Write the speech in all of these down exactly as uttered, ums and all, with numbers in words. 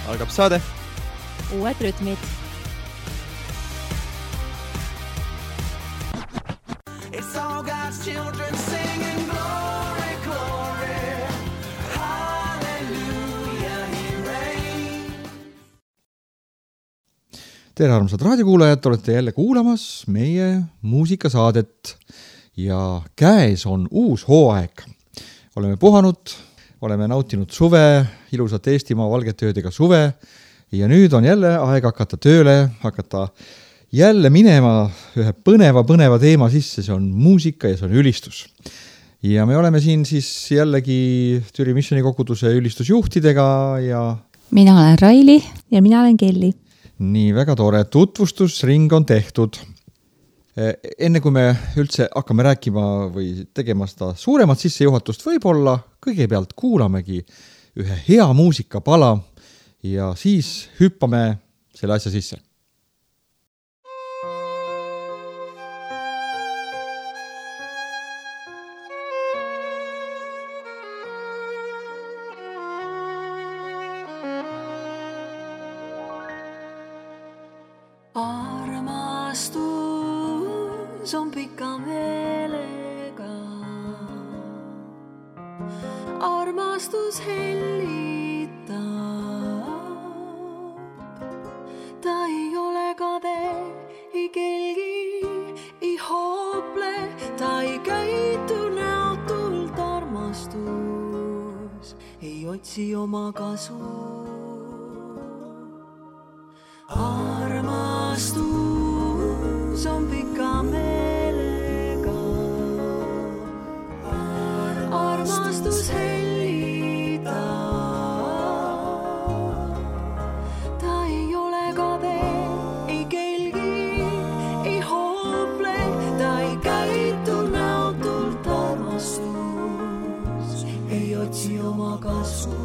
Algab saade. Uued rütmid. It's all God's children singing glory, glory, hallelujah, he reigns. Tere armsad raadiokuulajad, olete jälle kuulamas meie muusikasaadet ja käes on uus hooaeg. Oleme puhanud, oleme nautinud suve, ilusat Eestimaa valgete öödega suve ja nüüd on jälle aeg hakata tööle, hakata jälle minema ühe põneva, põneva teema sisse, see on muusika ja see on ülistus. Ja me oleme siin siis jällegi Türi Missioni koguduse ülistusjuhtidega ja... Mina olen Raili ja mina olen Kelly. Nii, väga tore. Tutvustusring on tehtud. Enne kui me üldse hakkame rääkima või tegema seda suuremat sissejuhatust, võib-olla kõigepealt kuulamegi ühe hea muusikapala ja siis hüppame selle asja sisse. Armastus on pika meelega, armastus hellitab, ta ei ole kade, ei kelgi, ei hoople, ta ei käitu näotult, armastus ei otsi oma kasu. Armastus on pika meelega, armastus hellitab, ta ei ole kade, ei kelgi, ei hoople, ta ei käitu näotult, armastus ei otsi oma kasu.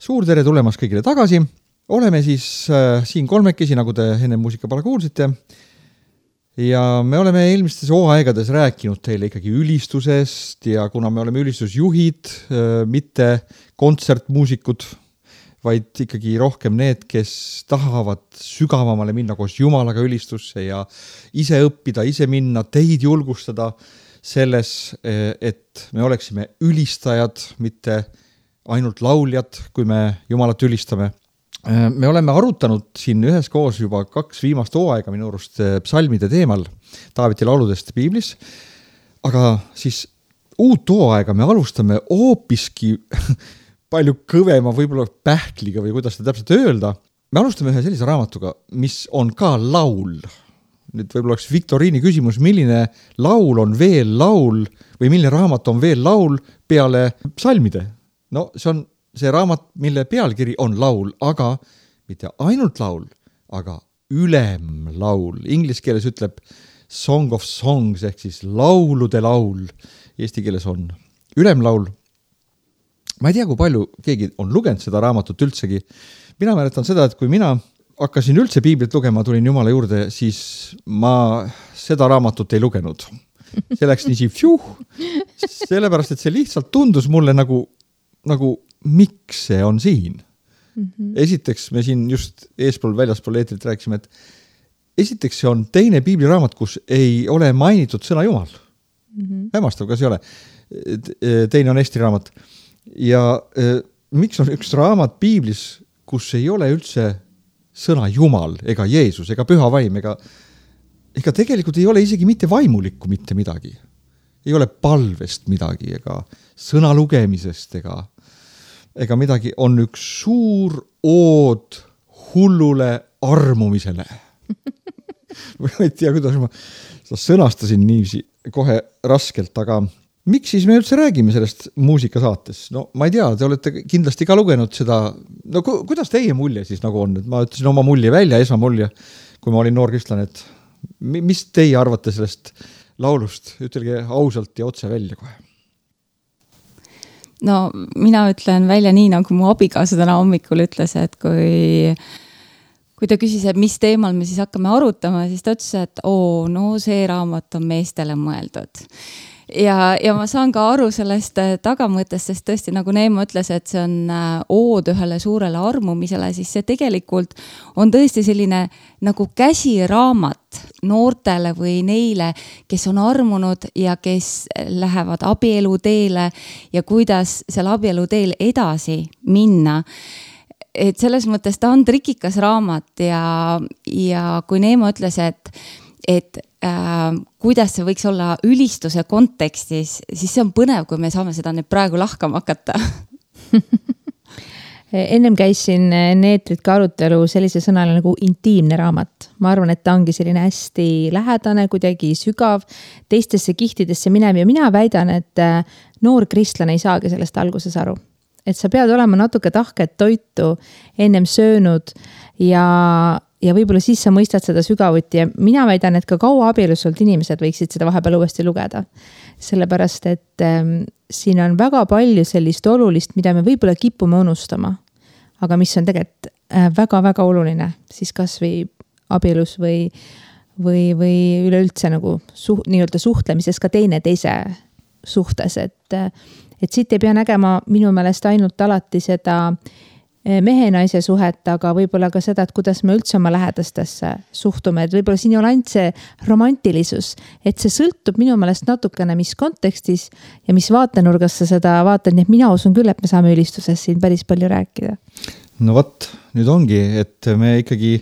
suur tere tulemast kõigile tagasi. Oleme siis äh, siin kolmekesi, nagu te enne muusikapala kuulsite. Ja me oleme eelmistes hooaegades rääkinud teile ikkagi ülistusest ja kuna me oleme ülistusjuhid, äh, mitte kontsertmuusikud, vaid ikkagi rohkem need, kes tahavad sügavamale minna koos Jumalaga ülistusse ja ise õppida, ise minna, teid julgustada selles, et me oleksime ülistajad, mitte ainult lauljad, kui me Jumalat ülistame. Me oleme arutanud siin üheskoos juba kaks viimast hooaega minu arust psalmide teemal Taaveti lauludest piiblis, aga siis uut hooaega me alustame hoopiski palju kõvema võib-olla pähkliga või kuidas seda täpselt öelda. Me alustame ühe sellise raamatuga, mis on ka laul. Nüüd võib-olla oleks Viktoriini küsimus, milline laul on veel laul või milline raamat on veel laul peale psalmide. No see on see raamat, mille pealkiri on laul, aga mitte ainult laul, aga ülemlaul. Inglis keeles ütleb Song of Songs ehk siis laulude laul. Eesti keeles on ülemlaul. Ma ei tea, kui palju keegi on lugenud seda raamatut üldsegi. Mina mäletan seda, et kui mina hakkasin üldse piiblit lugema, tulin Jumala juurde, siis ma seda raamatut ei lugenud. See läks nii fjuh, sellepärast, et see lihtsalt tundus mulle nagu, nagu miks see on siin. Mm-hmm. Esiteks me siin just eespool väljaspool eetrit rääkisime, et esiteks see on teine piibliraamat, kus ei ole mainitud sõna Jumal. Mm-hmm. Hämmastav, kas ei ole. Teine on Eesti raamat. Ja eh, miks on üks raamat piiblis, kus ei ole üldse sõna Jumal, ega Jeesus, ega püha vaim, ega, ega tegelikult ei ole isegi mitte vaimulikku mitte midagi. Ei ole palvest midagi, ega sõna lugemisest, ega, ega midagi. On üks suur ood hullule armumisele. Ma ei tea, kuidas ma sõnastasin niiviisi kohe raskelt, aga miks siis me üldse räägime sellest muusikasaates? No ma ei tea, te olete kindlasti ka lugenud seda, no ku, kuidas teie mulje siis nagu on? Et ma ütlesin oma mulje välja, esmamulje, kui ma olin noor kristlane, et mis teie arvate sellest laulust? Ütelge ausalt ja otse välja kohe. No mina ütlen välja nii, nagu mu abikaasa täna hommikul ütles, et kui, kui ta küsis, et mis teemal me siis hakkame arutama, siis ta ütles, et oo, no see raamat on meestele mõeldud. Ja, ja ma saan ka aru sellest tagamõttest, sest tõesti nagu Neemo ütles, et see on ood ühele suurele armumisele, siis see tegelikult on tõesti selline nagu käsiraamat noortele või neile, kes on armunud ja kes lähevad abielu teele ja kuidas seal abielu teel edasi minna. Et selles mõttes ta on trikikas raamat ja, ja kui Neemo ütles, et et äh, kuidas see võiks olla ülistuse kontekstis, siis see on põnev, kui me saame seda nüüd praegu lahkama hakata. Ennem käis siin neetrit ka arutelu sellise sõnale nagu intiimne raamat. Ma arvan, et ta ongi selline hästi lähedane, kuidagi sügav, teistesse kihtidesse minev ja mina väidan, et noor kristlane ei saagi sellest alguses aru. Et sa pead olema natuke tahket toitu ennem söönud ja ja võib-olla siis sa mõistad seda sügavuti ja mina väidan, et ka kaua abielus olnud inimesed võiksid seda vahepeal uuesti lugeda. Sellepärast, et ähm, siin on väga palju sellist olulist, mida me võib-olla kipume unustama, aga mis on tegelikult äh, väga-väga oluline, siis kas või abielus või, või, või üleüldse nagu suht, nii-öelda suhtlemises ka teine teise suhtes, et, et siit ei pea nägema minu meelest ainult alati seda mehe-naise suhet, aga võib-olla ka seda, et kuidas me üldse oma lähedastesse suhtume, et võib-olla siin ei ole ainult see romantilisus, et see sõltub minu meelest natukene, mis kontekstis ja mis vaatenurgas sa seda vaatad, nii et mina usun küll, et me saame ülistuses siin päris palju rääkida. No võt, nüüd ongi, et me ikkagi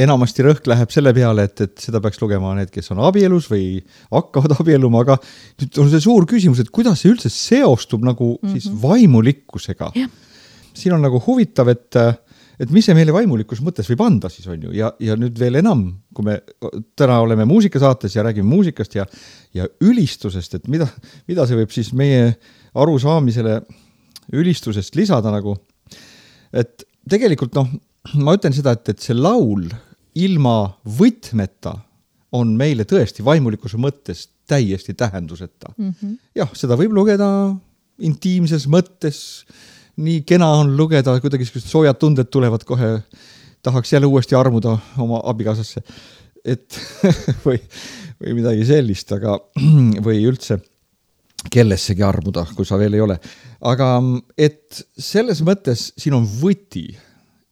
enamasti rõhk läheb selle peale, et, et seda peaks lugema need, kes on abielus või hakkavad abieluma, aga nüüd on see suur küsimus, et kuidas see üldse seostub nagu mm-hmm. siis vaimulikkusega. Ja. Siin on nagu huvitav, et, et mis see meile vaimulikkus mõttes võib anda siis on ju ja, ja nüüd veel enam, kui me täna oleme muusikasaates ja räägime muusikast ja, ja ülistusest, et mida, mida see võib siis meie arusaamisele ülistusest lisada nagu, et tegelikult noh, ma ütlen seda, et, et see laul ilma võtmeta on meile tõesti vaimulikkuse mõttes täiesti tähenduseta. Mm-hmm. Jah, seda võib lugeda intiimses mõttes nii kena on lugeda, kuidagi soojad tunded tulevad kohe, tahaks jälle uuesti armuda oma abikaasasse. Et või, või midagi sellist, aga või üldse kellessegi armuda, kui sa veel ei ole. Aga et selles mõttes siin on võti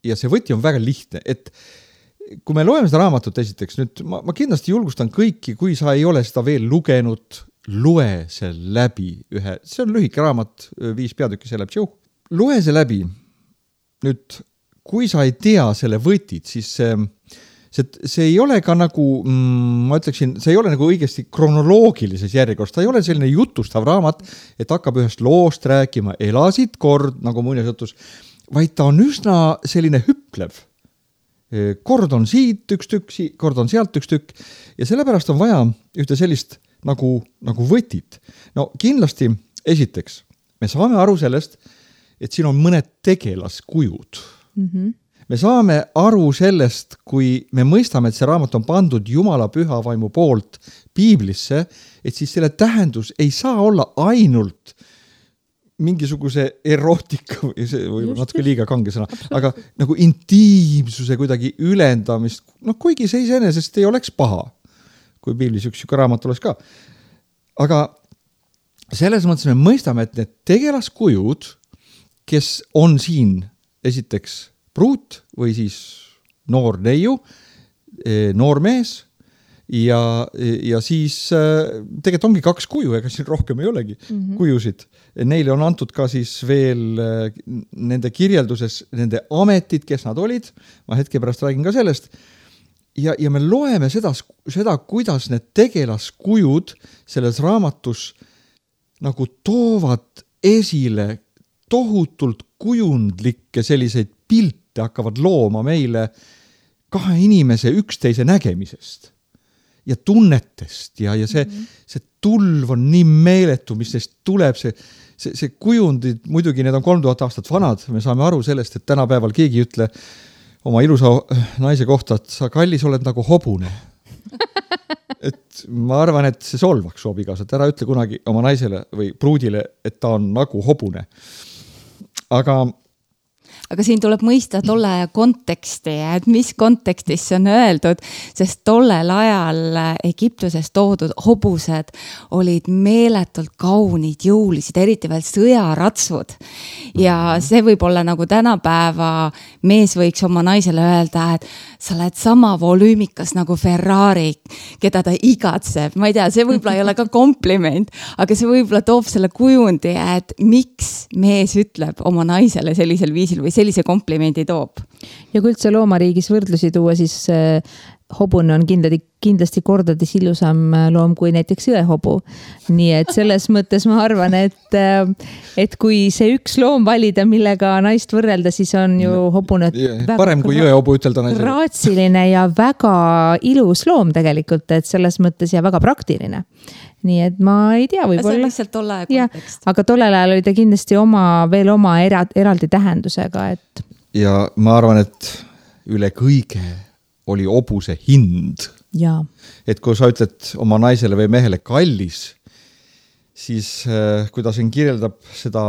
ja see võti on väga lihtne, et kui me loeme seda raamatut esiteks, nüüd ma, ma kindlasti julgustan kõiki, kui sa ei ole seda veel lugenud, loe see läbi ühe, see on lühike raamat, viis peatükki, see läheb tšauh. Loe see läbi. Nüüd, kui sa ei tea selle võtit, siis see, see, see ei ole ka nagu, mm, ma ütleksin, see ei ole nagu õigesti kronoloogilises järjekorras, ta ei ole selline jutustav raamat, et hakkab ühest loost rääkima, elasid kord, nagu muinasjutus, vaid ta on üsna selline hüplev. Kord on siit üks tükk, kord on sealt üks tükk ja sellepärast on vaja ühte sellist nagu, nagu võtit. No kindlasti esiteks, me saame aru sellest, et siin on mõned tegelaskujud. Mm-hmm. Me saame aru sellest, kui me mõistame, et see raamat on pandud Jumala püha vaimu poolt piiblisse, et siis selle tähendus ei saa olla ainult mingisuguse erootika või, see, või natuke liiga kange sõna, aga nagu intiimsuse kuidagi ülendamist, no kuigi see iseenesest ei oleks paha, kui piiblis üks üks raamat oleks ka. Aga selles mõttes me mõistame, et need tegelaskujud, kes on siin esiteks pruut või siis noor neiu, noor mees ja, ja siis tegelikult ongi kaks kuju, ega siin rohkem ei olegi mm-hmm. kujusid. Neile on antud ka siis veel nende kirjelduses nende ametid, kes nad olid. Ma hetke pärast räägin ka sellest. Ja, ja me loeme seda, seda, kuidas need tegelaskujud selles raamatus nagu toovad esile tohutult kujundlikke selliseid pilte hakkavad looma meile kahe inimese üksteise nägemisest ja tunnetest ja, ja see, mm-hmm. see tulv on nii meeletu, mis neist tuleb, see, see, see kujundid, muidugi need on kolm tuhat aastat vanad, me saame aru sellest, et tänapäeval keegi ütle oma ilusa naise kohta, et sa kallis oled nagu hobune. Et ma arvan, et see solvaks su abikaasa, et ära ütle kunagi oma naisele või pruudile, et ta on nagu hobune. Aga aga siin tuleb mõista tolle aja konteksti, et mis kontekstis see on öeldud, sest tollel ajal Egiptuses toodud hobused olid meeletult kaunid, jõulised, eriti veel sõjaratsvud. Ja see võib olla nagu tänapäeva mees võiks oma naisele öelda, et sa oled sama volüümikas nagu Ferrari, keda ta igatseb. Ma ei tea, see võib-olla ei ole ka kompliment, aga see võib-olla toob selle kujundi, et miks mees ütleb oma naisele sellisel viisil või sellise komplimendi toob. Ja kui üldse loomariigis võrdlusi tuua, siis äh, hobune on kindlasti, kindlasti kordades ilusam loom kui näiteks jõehobu. Nii et selles mõttes ma arvan, et, äh, et kui see üks loom valida, millega naist võrrelda, siis on ju hobune parem kui jõehobu ütelda naisele. Raatsiline ja väga ilus loom tegelikult, et selles mõttes ja väga praktiline. Nii et ma ei tea, võib-olla. See on lihtsalt tolle aja kontekst. Aga tollel ajal oli ta kindlasti oma, veel oma era, eraldi tähendusega. Et... Ja ma arvan, et üle kõige oli hobuse hind. Ja. Et kui sa ütled oma naisele või mehele kallis, siis kui ta siin kirjeldab seda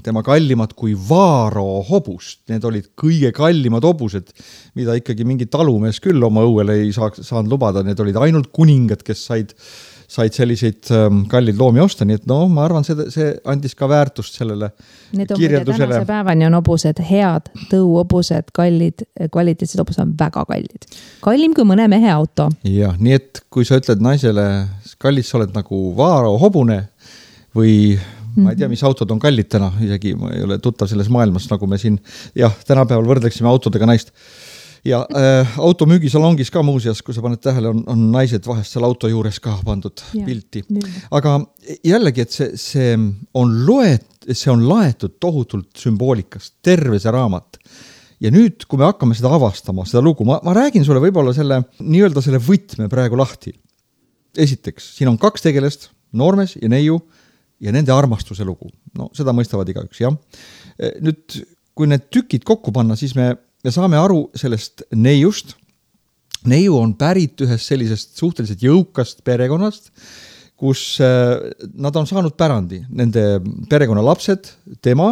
tema kallimat kui vaaro hobust, need olid kõige kallimad hobused, mida ikkagi mingi talumees küll oma õuele ei saa, saanud lubada, need olid ainult kuningad, kes said said selliseid ähm, kallid loomi osta, nii et no ma arvan, see, see andis ka väärtust sellele need kirjeldusele. Need on tänase päevani on hobused head, tõuhobused, kallid, kvaliteetsed hobused on väga kallid. Kallim kui mõne mehe auto. Ja, nii et kui sa ütled naisele, kallis, sa oled nagu vaaro hobune või mm-hmm. ma ei tea, mis autod on kallid täna, isegi ma ei ole tuttav selles maailmas, nagu me siin jah, tänapäeval võrdleksime autodega naist. Ja äh, auto müügisalongis ka muuseas, kui sa paned tähele, on, on naised vahest seal auto juures ka pandud ja, pilti. Nüüd. Aga jällegi, et see, see on loet, see on laetud tohutult sümboolikast, terve see raamat. Ja nüüd, kui me hakkame seda avastama, seda lugu, ma, ma räägin sulle võib-olla selle, nii-öelda selle võtme praegu lahti. Esiteks, siin on kaks tegelest, noormees ja neiu ja nende armastuse lugu. No seda mõistavad igaüks, jah. Nüüd, kui need tükid kokku panna, siis me me saame aru sellest neiust. Neiu on pärit ühest sellisest suhteliselt jõukast perekonnast, kus nad on saanud pärandi. Nende perekonna lapsed, tema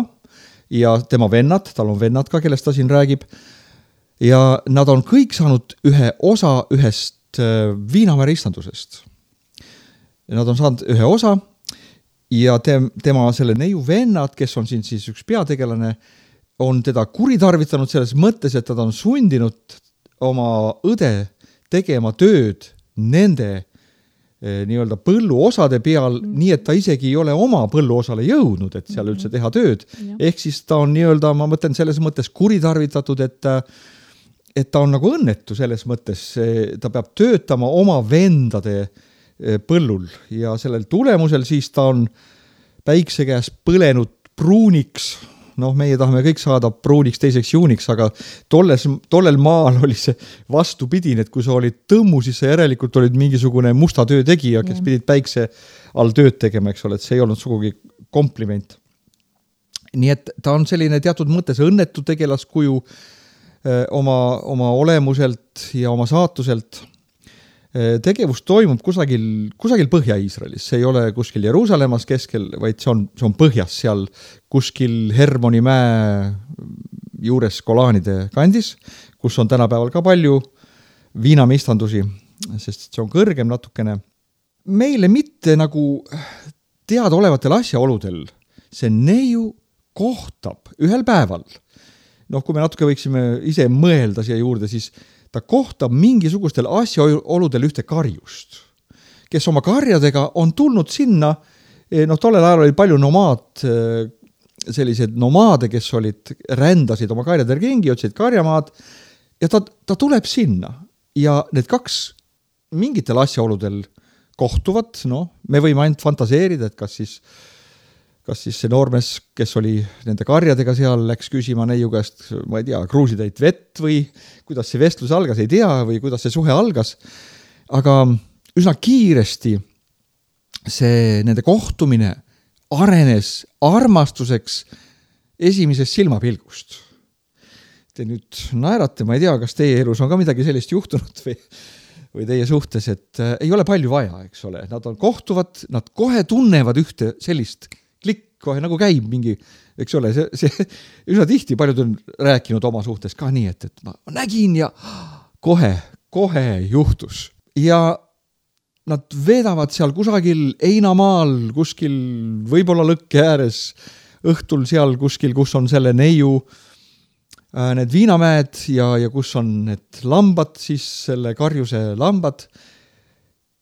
ja tema vennad, tal on vennad ka, kellest ta siin räägib. Ja nad on kõik saanud ühe osa ühest Viinamäe ristandusest. Nad on saanud ühe osa ja te, tema selle neiu vennad, kes on siin siis üks peategelane, on teda kuritarvitanud selles mõttes, et ta on sundinud oma õde tegema tööd nende nii-öelda põlluosade peal, mm. nii et ta isegi ei ole oma põlluosale jõudnud, et seal üldse teha tööd. Mm. Ehk siis ta on nii-öelda, ma mõtlen selles mõttes kuritarvitatud, et et ta on nagu õnnetu selles mõttes, ta peab töötama oma vendade põllul ja sellel tulemusel siis ta on päikse käes põlenud pruuniks, noh, meie tahame kõik saada pruuniks teiseks juuniks, aga tolles, tollel maal oli see vastupidine, et kui sa olid tõmmu, siis sa järelikult olid mingisugune musta töö tegija, kes pidid päikse all tööd tegema, eks ole, et see ei olnud sugugi kompliment. Nii et ta on selline teatud mõttes õnnetu tegelaskuju oma, oma olemuselt ja oma saatuselt. Tegevus toimub kusagil, kusagil Põhja-Iisraelis, see ei ole kuskil Jeruusalemmas keskel, vaid see on, see on põhjas seal kuskil Hermoni mäe juures Kolaanide kandis, kus on tänapäeval ka palju viinamistandusi, sest see on kõrgem natukene. Meile mitte nagu teadaolevatel asjaoludel see neiu kohtab ühel päeval. Noh, kui me natuke võiksime ise mõelda siia juurde, siis ta kohtab mingisugustel asjaoludel ühte karjust, kes oma karjadega on tulnud sinna, noh, tollel ajal oli palju nomaad, sellised nomaade, kes olid, rändasid oma karjadel ringi, otsid karjamaad, ja ta, ta tuleb sinna. Ja need kaks mingitel asjaoludel kohtuvad, noh, me võime ainult fantaseerida, et kas siis kas siis see noormes, kes oli nende karjadega seal, läks küsima neiu käest, ma ei tea, kruusitäit vett või kuidas see vestlus algas, ei tea, või kuidas see suhe algas. Aga üsna kiiresti see nende kohtumine arenes armastuseks esimesest silmapilgust. Te nüüd naerate, ma ei tea, kas teie elus on ka midagi sellist juhtunud või, või teie suhtes, et ei ole palju vaja, eks ole. Nad on kohtuvad, nad kohe tunnevad ühte sellist klikk, kohe nagu käib mingi, eks ole, see, see üsna tihti paljud on rääkinud oma suhtes ka nii, et, et ma nägin ja kohe, kohe juhtus. Ja nad veedavad seal kusagil Einamaal, kuskil võib-olla lõkke ääres, õhtul seal kuskil, kus on selle neiu need viinamäed ja, ja kus on need lambad, siis selle karjuse lambad,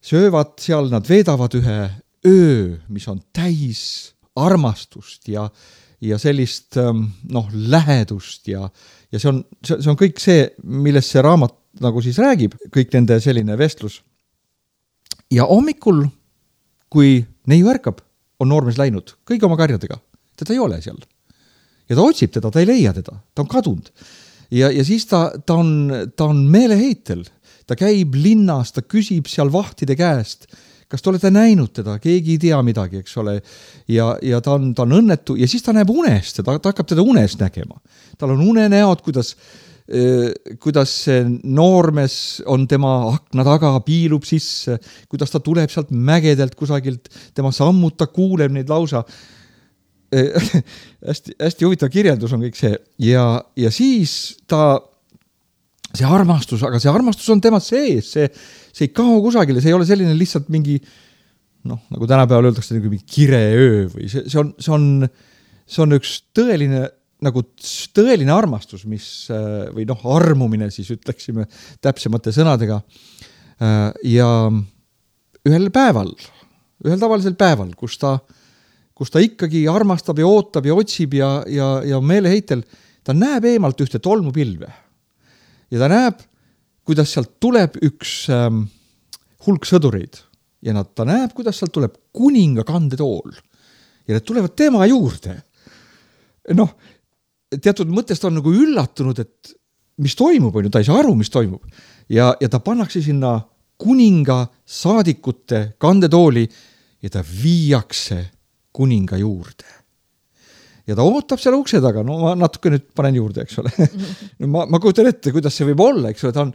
söövad seal, nad veedavad ühe öö, mis on täis armastust ja, ja sellist noh, lähedust ja, ja see on, see on kõik see, millest see raamat nagu siis räägib, kõik nende selline vestlus. Ja hommikul, kui neiu ärkab, on noormees läinud kõigi oma karjadega, teda ei ole seal. Ja ta otsib teda, ta ei leia teda, ta on kadunud. Ja, ja siis ta, ta, on, ta on meeleheitel, ta käib linnas, ta küsib seal vahtide käest, kas te olete näinud teda, keegi ei tea midagi, eks ole, ja, ja ta, on, ta on õnnetu ja siis ta näeb unest, ta, ta hakkab teda unest nägema. Tal on unenäod, kuidas, eh, kuidas see noormes on tema akna taga, piilub sisse, kuidas ta tuleb sealt mägedelt kusagilt, tema sammud, ta kuuleb neid lausa. Eh, hästi, hästi huvitav kirjeldus on kõik see ja, ja siis ta see armastus, aga see armastus on tema sees, see, see ei kao kusagile, see ei ole selline lihtsalt mingi, noh, nagu tänapäeval öeldakse, mingi kireöö või see, see on, see on, see on üks tõeline, nagu tõeline armastus, mis, või noh, armumine siis ütleksime täpsemate sõnadega. Ja ühel päeval, ühel tavalisel päeval, kus ta, kus ta ikkagi armastab ja ootab ja otsib ja, ja, ja meeleheitel, ta näeb eemalt ühte tolmupilve. Ja ta näeb, kuidas sealt tuleb üks ähm, hulk sõdureid ja nad, ta näeb, kuidas sealt tuleb kuninga kandetool ja need tulevad tema juurde. Noh, teatud mõttest on nagu üllatunud, et mis toimub, on ju, ta ei saa aru, mis toimub. Ja, ja ta pannakse sinna kuninga saadikute kandetooli ja ta viiakse kuninga juurde. Ja ta ootab seal ukse taga, no ma natuke nüüd panen juurde, eks ole. No ma, ma kujutan ette, kuidas see võib olla, eks ole, ta on,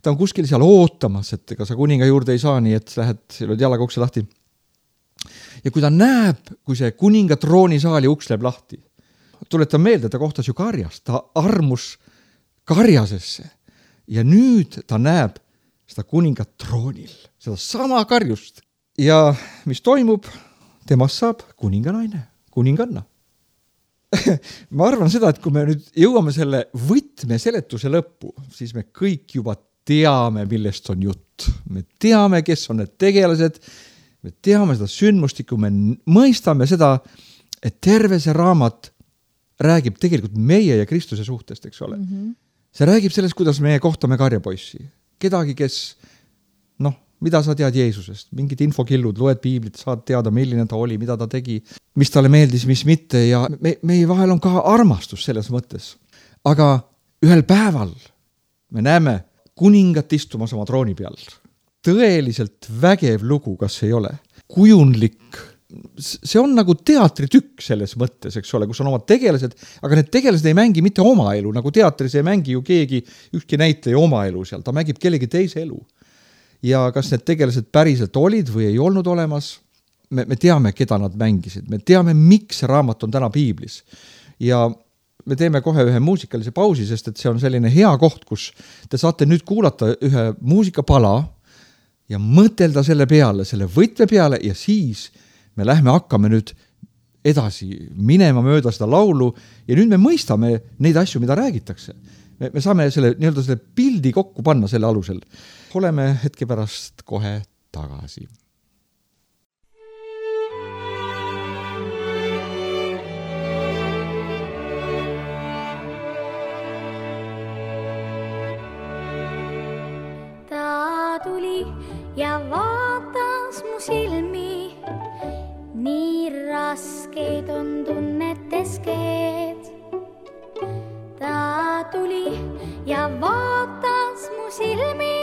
ta on kuskil seal ootamas, et ega sa kuninga juurde ei saa, nii et lähed, lööd jalaga ukse lahti. Ja kui ta näeb, kui see kuninga troonisaali uks läheb lahti, tuletan meelde, ta kohtas ju karjast, ta armus karjasesse ja nüüd ta näeb seda kuningat troonil, seda sama karjust. Ja mis toimub, temast saab kuninganaine, kuninganna. Ma arvan seda, et kui me nüüd jõuame selle võtme seletuse lõppu, siis me kõik juba teame, millest on jutt. Me teame, kes on need tegelased, me teame seda sündmustikku, me mõistame seda, et terve see raamat räägib tegelikult meie ja Kristuse suhtest, eks ole. Mm-hmm. See räägib sellest, kuidas meie kohtame karjapoissi. Kedagi, kes, noh, mida sa tead Jeesusest, mingid infokillud, loed piiblit, saad teada, milline ta oli, mida ta tegi, mis talle meeldis, mis mitte ja me, meie vahel on ka armastus selles mõttes. Aga ühel päeval me näeme kuningat istumas oma trooni peal. Tõeliselt vägev lugu, kas ei ole. Kujundlik, see on nagu teatritükk selles mõttes, eks ole, kus on oma tegelased, aga need tegelased ei mängi mitte oma elu, nagu teatris ei mängi ju keegi, ükski näitleja oma elu seal, ta mängib kellegi teise elu. Ja kas need tegelased päriselt olid või ei olnud olemas, me, me teame, keda nad mängisid. Me teame, miks see raamat on täna piiblis. Ja me teeme kohe ühe muusikalise pausi, sest et see on selline hea koht, kus te saate nüüd kuulata ühe muusikapala ja mõtelda selle peale, selle võtme peale ja siis me lähme hakkame nüüd edasi minema mööda seda laulu ja nüüd me mõistame neid asju, mida räägitakse. Me, me saame selle, nii-öelda selle pildi kokku panna selle alusel. Oleme hetke pärast kohe tagasi. Ta tuli ja vaatas mu silmi, nii raskeid on tunnetes keed. Ta tuli ja vaatas mu silmi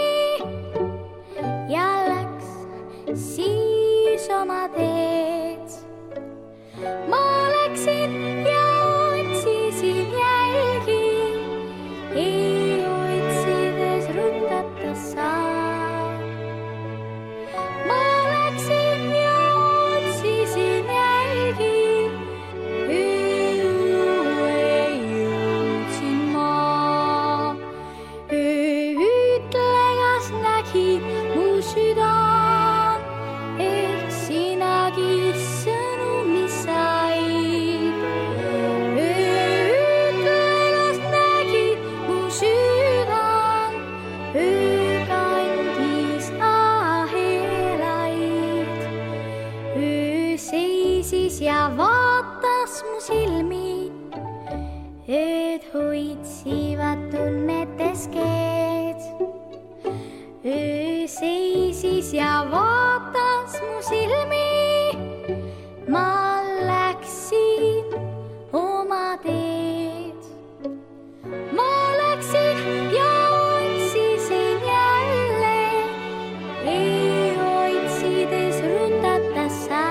ja läks siis oma teed. Ma läksin ja otsisin jälgi, ei otsides rutata saa. Ma läksin ja otsisin jälgi, ja vaatas mu silmi, ööd hoitsivad tunnetes keed. Öö seisis ja vaatas mu silmi, ma läksin oma teed. Ma läksin ja otsisin jälle, ei otsides rutata saa.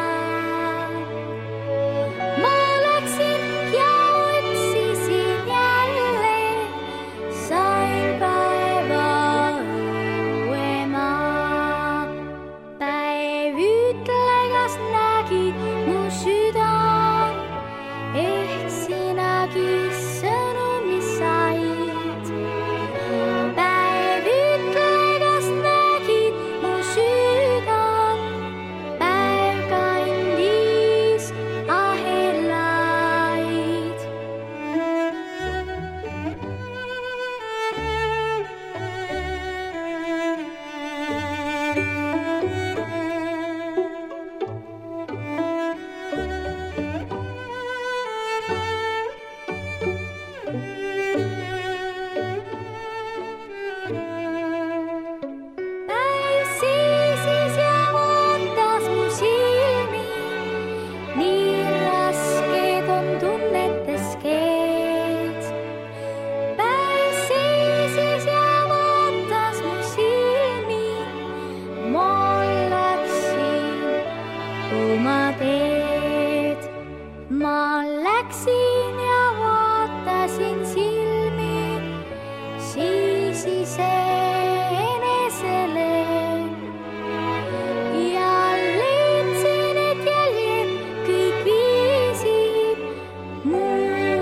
Muu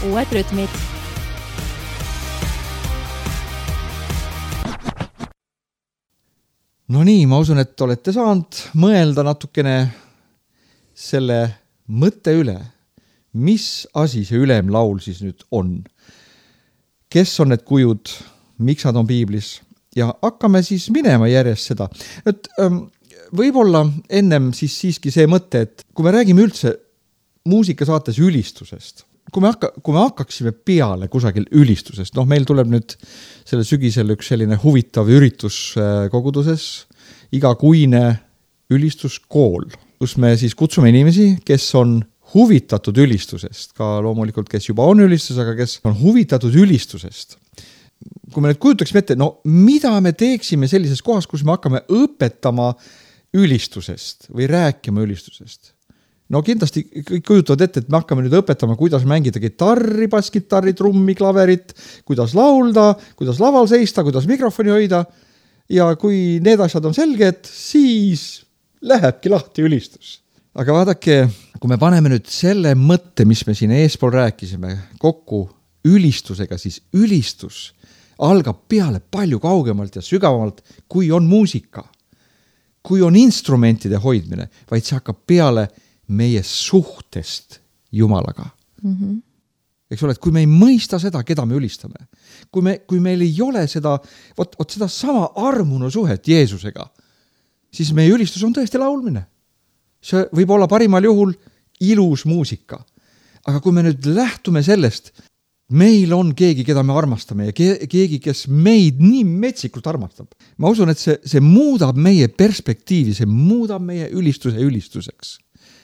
uued rütmid. No nii, ma usun, et olete saanud mõelda natukene selle mõtte üle, mis asi see ülemlaul siis nüüd on. Kes on need kujud, miks nad on piiblis ja hakkame siis minema järjest seda. Et, ähm, võib-olla ennem siis siiski see mõte, et kui me räägime üldse muusikasaates ülistusest, kui me, hakka, kui me hakkaksime peale kusagil ülistusest, noh meil tuleb nüüd selle sügisel üks selline huvitav üritus koguduses, igakuine ülistuskool, kus me siis kutsume inimesi, kes on huvitatud ülistusest, ka loomulikult, kes juba on ülistus, aga kes on huvitatud ülistusest. Kui me nüüd kujutaksime ette, no mida me teeksime sellises kohas, kus me hakkame õpetama ülistusest või rääkima ülistusest? No kindlasti kõik kujutavad ette, et me hakkame nüüd õpetama, kuidas mängida gitarri, basskitarri, trummi, klaverit, kuidas laulda, kuidas laval seista, kuidas mikrofoni hoida. Ja kui need asjad on selged, siis lähebki lahti ülistus. Aga vaadake, kui me paneme nüüd selle mõtte, mis me siin eespool rääkisime, kokku ülistusega, siis ülistus algab peale palju kaugemalt ja sügavamalt, kui on muusika, kui on instrumentide hoidmine, vaid see hakkab peale meie suhtest Jumalaga. Mm-hmm. Eks ole, et kui me ei mõista seda, keda me ülistame, kui, me, kui meil ei ole seda, ot, ot seda sama armunu suhet Jeesusega, siis meie ülistus on tõesti laulmine. See võib olla parimal juhul ilus muusika. Aga kui me nüüd lähtume sellest, meil on keegi, keda me armastame ja keegi, kes meid nii metsikult armastab. Ma usun, et see, see muudab meie perspektiivi, see muudab meie ülistuse ülistuseks.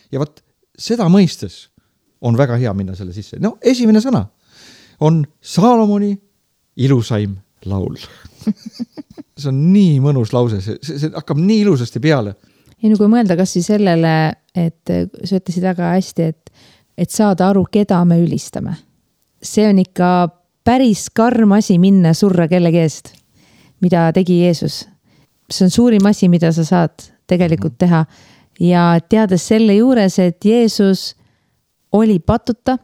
Ja võt, seda mõistes on väga hea minna selle sisse. No, esimene sõna on Saalomoni ilusaim laul. See on nii mõnus lause, see, see, see hakkab nii ilusasti peale. Ja kui mõelda kas siis sellele, et sa ütlesid väga hästi, et, et saada aru, keda me ülistame. See on ikka päris karm asi minna surra kellegi eest, mida tegi Jeesus. See on suurim asi, mida sa saad tegelikult teha. Ja teades selle juures, et Jeesus oli patuta,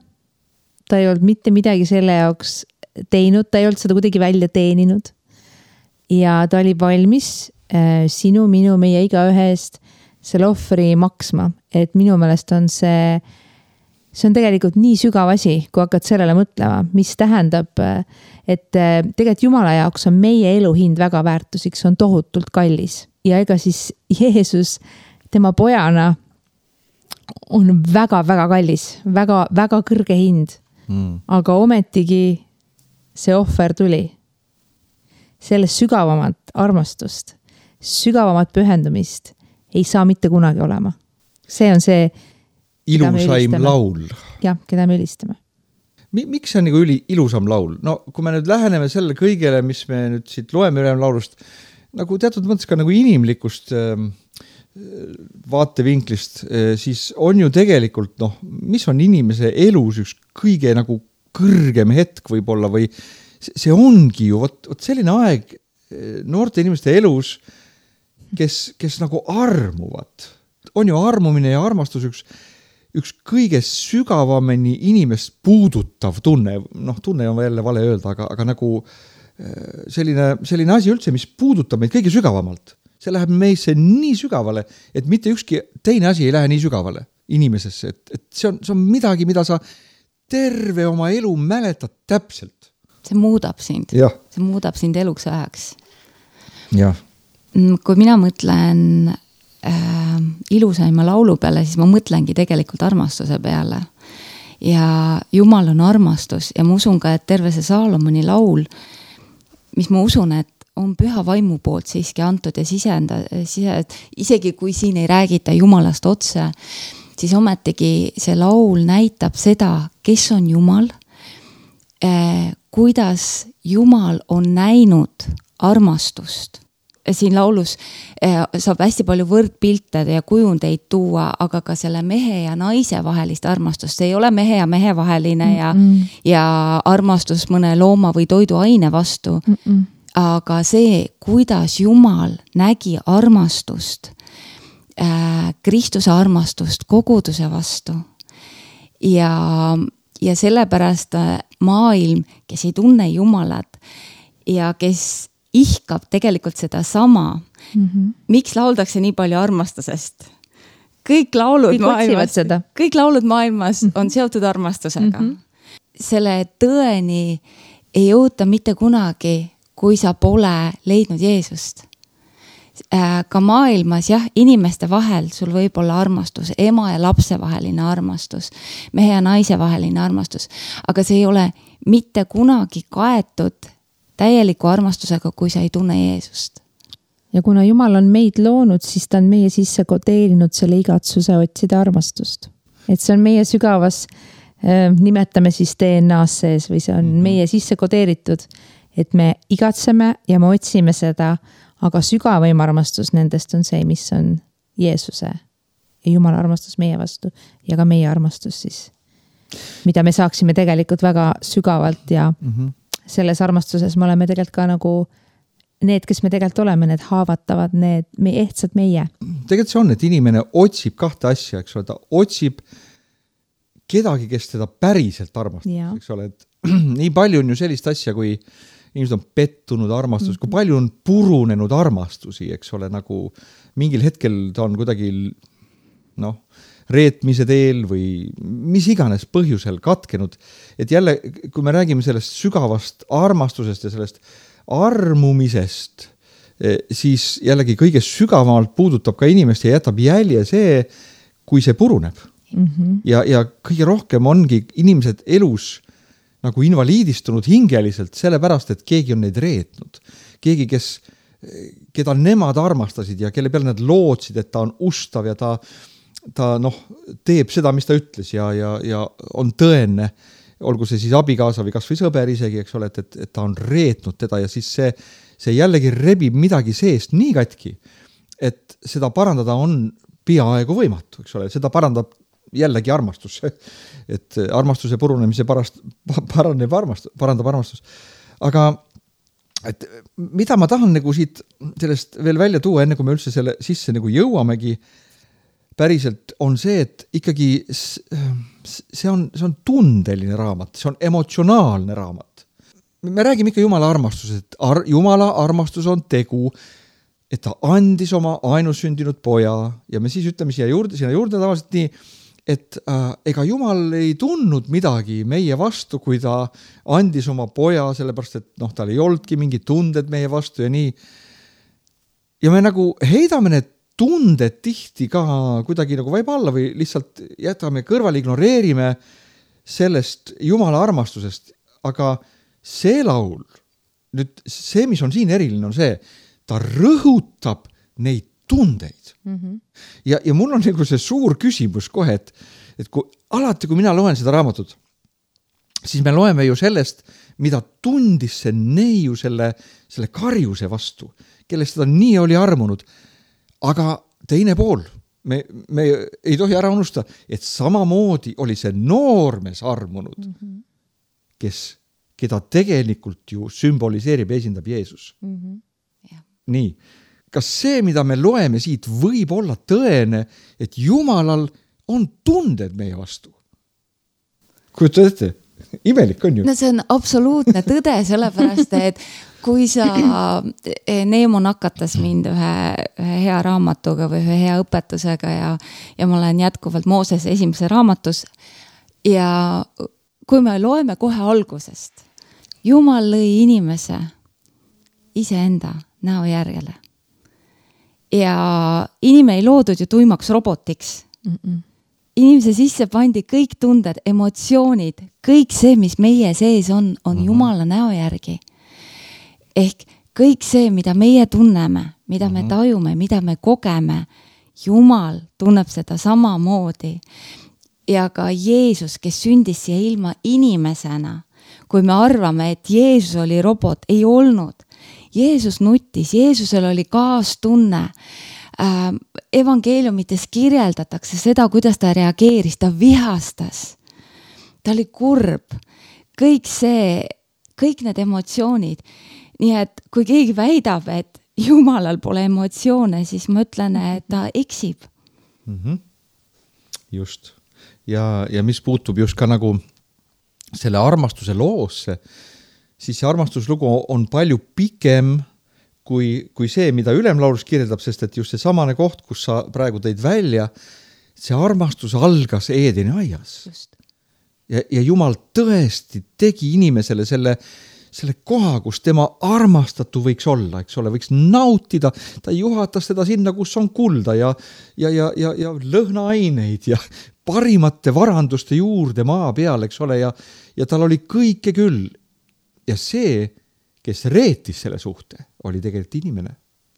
ta ei olnud mitte midagi selle jaoks teinud, ta ei olnud seda kuidagi välja teeninud. Ja ta oli valmis äh, sinu, minu, meie igaühe eest selle ohvri maksma. Et minu meelest on see, see on tegelikult nii sügav asi, kui hakkad sellele mõtlema, mis tähendab, et tegelikult Jumala jaoks on meie elu hind väga väärtuslik, see on tohutult kallis. Ja ega siis Jeesus tema pojana on väga-väga kallis, väga, väga kõrge hind, mm. aga ometigi see ohver tuli. Sellest sügavamat armastust, sügavamat pühendumist ei saa mitte kunagi olema. See on see ilusaim laul. Jah, keda me ülistame. Miks see on nagu üli, ilusam laul? No kui me nüüd läheneme selle kõigele, mis me nüüd siit loeme ülem laulust, nagu teatud mõttes ka nagu inimlikust äh, vaatevinklist, siis on ju tegelikult, noh, mis on inimese elus üks kõige nagu kõrgem hetk võib-olla või see ongi ju võt, võt selline aeg noorte inimeste elus, kes, kes nagu armuvad. On ju armumine ja armastus üks, üks kõige sügavameni inimest puudutav tunne, noh, tunne on jälle vale öelda, aga, aga nagu selline, selline asi üldse, mis puudutab meid kõige sügavamalt. See läheb meisse nii sügavale, et mitte ükski teine asi ei lähe nii sügavale inimesesse. Et, et see, on, see on midagi, mida sa terve oma elu mäletad täpselt. See muudab sind. Ja. See muudab sind eluks ajaks. Ja. Kui mina mõtlen äh, ilusaima laulu peale, siis ma mõtlengi tegelikult armastuse peale. Ja Jumal on armastus ja ma usun ka, et terve see Saalomoni laul, mis ma usun, et on püha vaimu poolt siiski antud ja sisenda, sisend, isegi kui siin ei räägita Jumalast otse, siis ometigi see laul näitab seda, kes on Jumal, eh, kuidas Jumal on näinud armastust. Siin laulus eh, saab hästi palju võrdpilte ja kujundeid tuua, aga ka selle mehe ja naise vahelist armastust. See ei ole mehe ja mehe vaheline ja, mm-mm. ja armastus mõne looma või toiduaine vastu. Mm-mm. Aga see, kuidas Jumal nägi armastust, äh, Kristuse armastust koguduse vastu ja, ja sellepärast maailm, kes ei tunne Jumalat ja kes ihkab tegelikult seda sama. Mm-hmm. Miks lauldakse nii palju armastusest? Kõik laulud, kõik maailmas, kõik laulud maailmas mm-hmm. on seotud armastusega. Mm-hmm. Selle tõeni ei jõuta mitte kunagi, kui sa pole leidnud Jeesust. Ka maailmas, jah, inimeste vahel sul võib olla armastus, ema ja lapse vaheline armastus, mehe ja naise vaheline armastus, aga see ei ole mitte kunagi kaetud täieliku armastusega, kui sa ei tunne Jeesust. Ja kuna Jumal on meid loonud, siis ta on meie sisse kodeerinud selle igatsuse otsida armastust. Et see on meie sügavas, äh, nimetame siis D N A-s sees või see on mm-hmm. meie sisse kodeeritud, et me igatseme ja me otsime seda, aga sügavaim armastus nendest on see, mis on Jeesuse ja Jumala armastus meie vastu ja ka meie armastus siis, mida me saaksime tegelikult väga sügavalt ja mm-hmm. selles armastuses me oleme tegelikult ka nagu need, kes me tegelikult oleme, need haavatavad, need me ehtsad meie. Tegelikult see on, et inimene otsib kahte asja, eks ole, ta otsib kedagi, kes teda päriselt armastab, eks ole, et nii palju on ju sellist asja, kui inimesed on pettunud armastus, mm-hmm. kui palju on purunenud armastusi, eks ole, nagu mingil hetkel ta on kuidagi noh, reetmise teel või mis iganes põhjusel katkenud. Et jälle, kui me räägime sellest sügavast armastusest ja sellest armumisest, siis jällegi kõige sügavamalt puudutab ka inimest ja jätab jälje see, kui see puruneb. Mm-hmm. Ja, ja kõige rohkem ongi inimesed elus nagu invaliidistunud hingeliselt sellepärast, et keegi on neid reetnud. Keegi, kes, keda nemad armastasid ja kelle peale nad lootsid, et ta on ustav ja ta, ta noh, teeb seda, mis ta ütles ja, ja, ja on tõenne, olgu see siis abikaasa või kas või sõber isegi, eks ole, et, et, et ta on reetnud teda ja siis see, see jällegi rebib midagi seest nii katki, et seda parandada on peaaegu võimatu, eks ole, seda parandab jällegi armastus, et armastuse purunemise parast, paraneb armastus, parandab armastus. Aga et mida ma tahan nagu siit sellest veel välja tuua, enne kui me üldse selle sisse nagu jõuamegi, päriselt on see, et ikkagi see on, see on tundeline raamat, see on emotsionaalne raamat. Me räägime ikka Jumala armastusest, et ar- Jumala armastus on tegu, et ta andis oma ainussündinud poja ja me siis ütleme siia juurde, siia juurde tavaliselt nii, et äh, ega Jumal ei tundnud midagi meie vastu, kui ta andis oma poja, sellepärast, et noh, tal ei oldki mingid tunded meie vastu ja nii. Ja me nagu heidame need tunded tihti ka kuidagi nagu vaib alla või lihtsalt jätame kõrvale, ignoreerime sellest Jumala armastusest. Aga see laul, nüüd see, mis on siin eriline, on see, ta rõhutab neid tundeid. Mm-hmm. Ja, ja mul on nagu see suur küsimus kohe, et, et kui, alati, kui mina loen seda raamatut, siis me loeme ju sellest, mida tundis see neiu selle, selle karjuse vastu, kellest teda nii oli armunud. Aga teine pool, me, me ei tohi ära unustada, et samamoodi oli see noormees armunud, mm-hmm. kes, keda tegelikult ju sümboliseerib, esindab Jeesus. Mm-hmm. Yeah. Nii. Kas see, mida me loeme siit, võib olla tõene, et Jumalal on tunded meie vastu? Kujutad ette? Imelik on ju. No see on absoluutne tõde, sellepärast, et kui sa, Neemo nakatas mind ühe, ühe hea raamatuga või ühe hea õpetusega ja, ja ma olen jätkuvalt Mooses esimese raamatus ja kui me loeme kohe algusest, Jumal lõi inimese iseenda näo järjele. Ja inimene ei loodud ju tuimaks robotiks. Mm-mm. Inimese sisse pandi kõik tunded, emotsioonid, kõik see, mis meie sees on, on mm-hmm. Jumala näo järgi. Ehk kõik see, mida meie tunneme, mida mm-hmm. me tajume, mida me kogeme, Jumal tunneb seda samamoodi. Ja ka Jeesus, kes sündis siia ilma inimesena, kui me arvame, et Jeesus oli robot, ei olnud. Jeesus nutis, Jeesusel oli kaastunne. Äh, evangeeliumites kirjeldatakse seda, kuidas ta reageeris, ta vihastas. Ta oli kurb. Kõik see, kõik need emotsioonid. Nii et kui keegi väidab, et Jumalal pole emotsioone, siis ma ütlen, et ta eksib. Mm-hmm. Just. Ja, ja mis puutub just ka nagu selle armastuse loosse, siis see armastuslugu on palju pikem kui, kui see, mida ülemlaulus kirjeldab, sest et just see samane koht, kus sa praegu tõid välja, see armastus algas Eedeni aias. Ja, ja Jumal tõesti tegi inimesele selle, selle koha, kus tema armastatu võiks olla, eks ole, võiks nautida, ta juhatas teda sinna, kus on kulda ja, ja, ja, ja, ja lõhnaaineid ja parimate varanduste juurde maa peal, eks ole, ja, ja tal oli kõike küll. Ja see, kes reetis selle suhte, oli tegelikult inimene.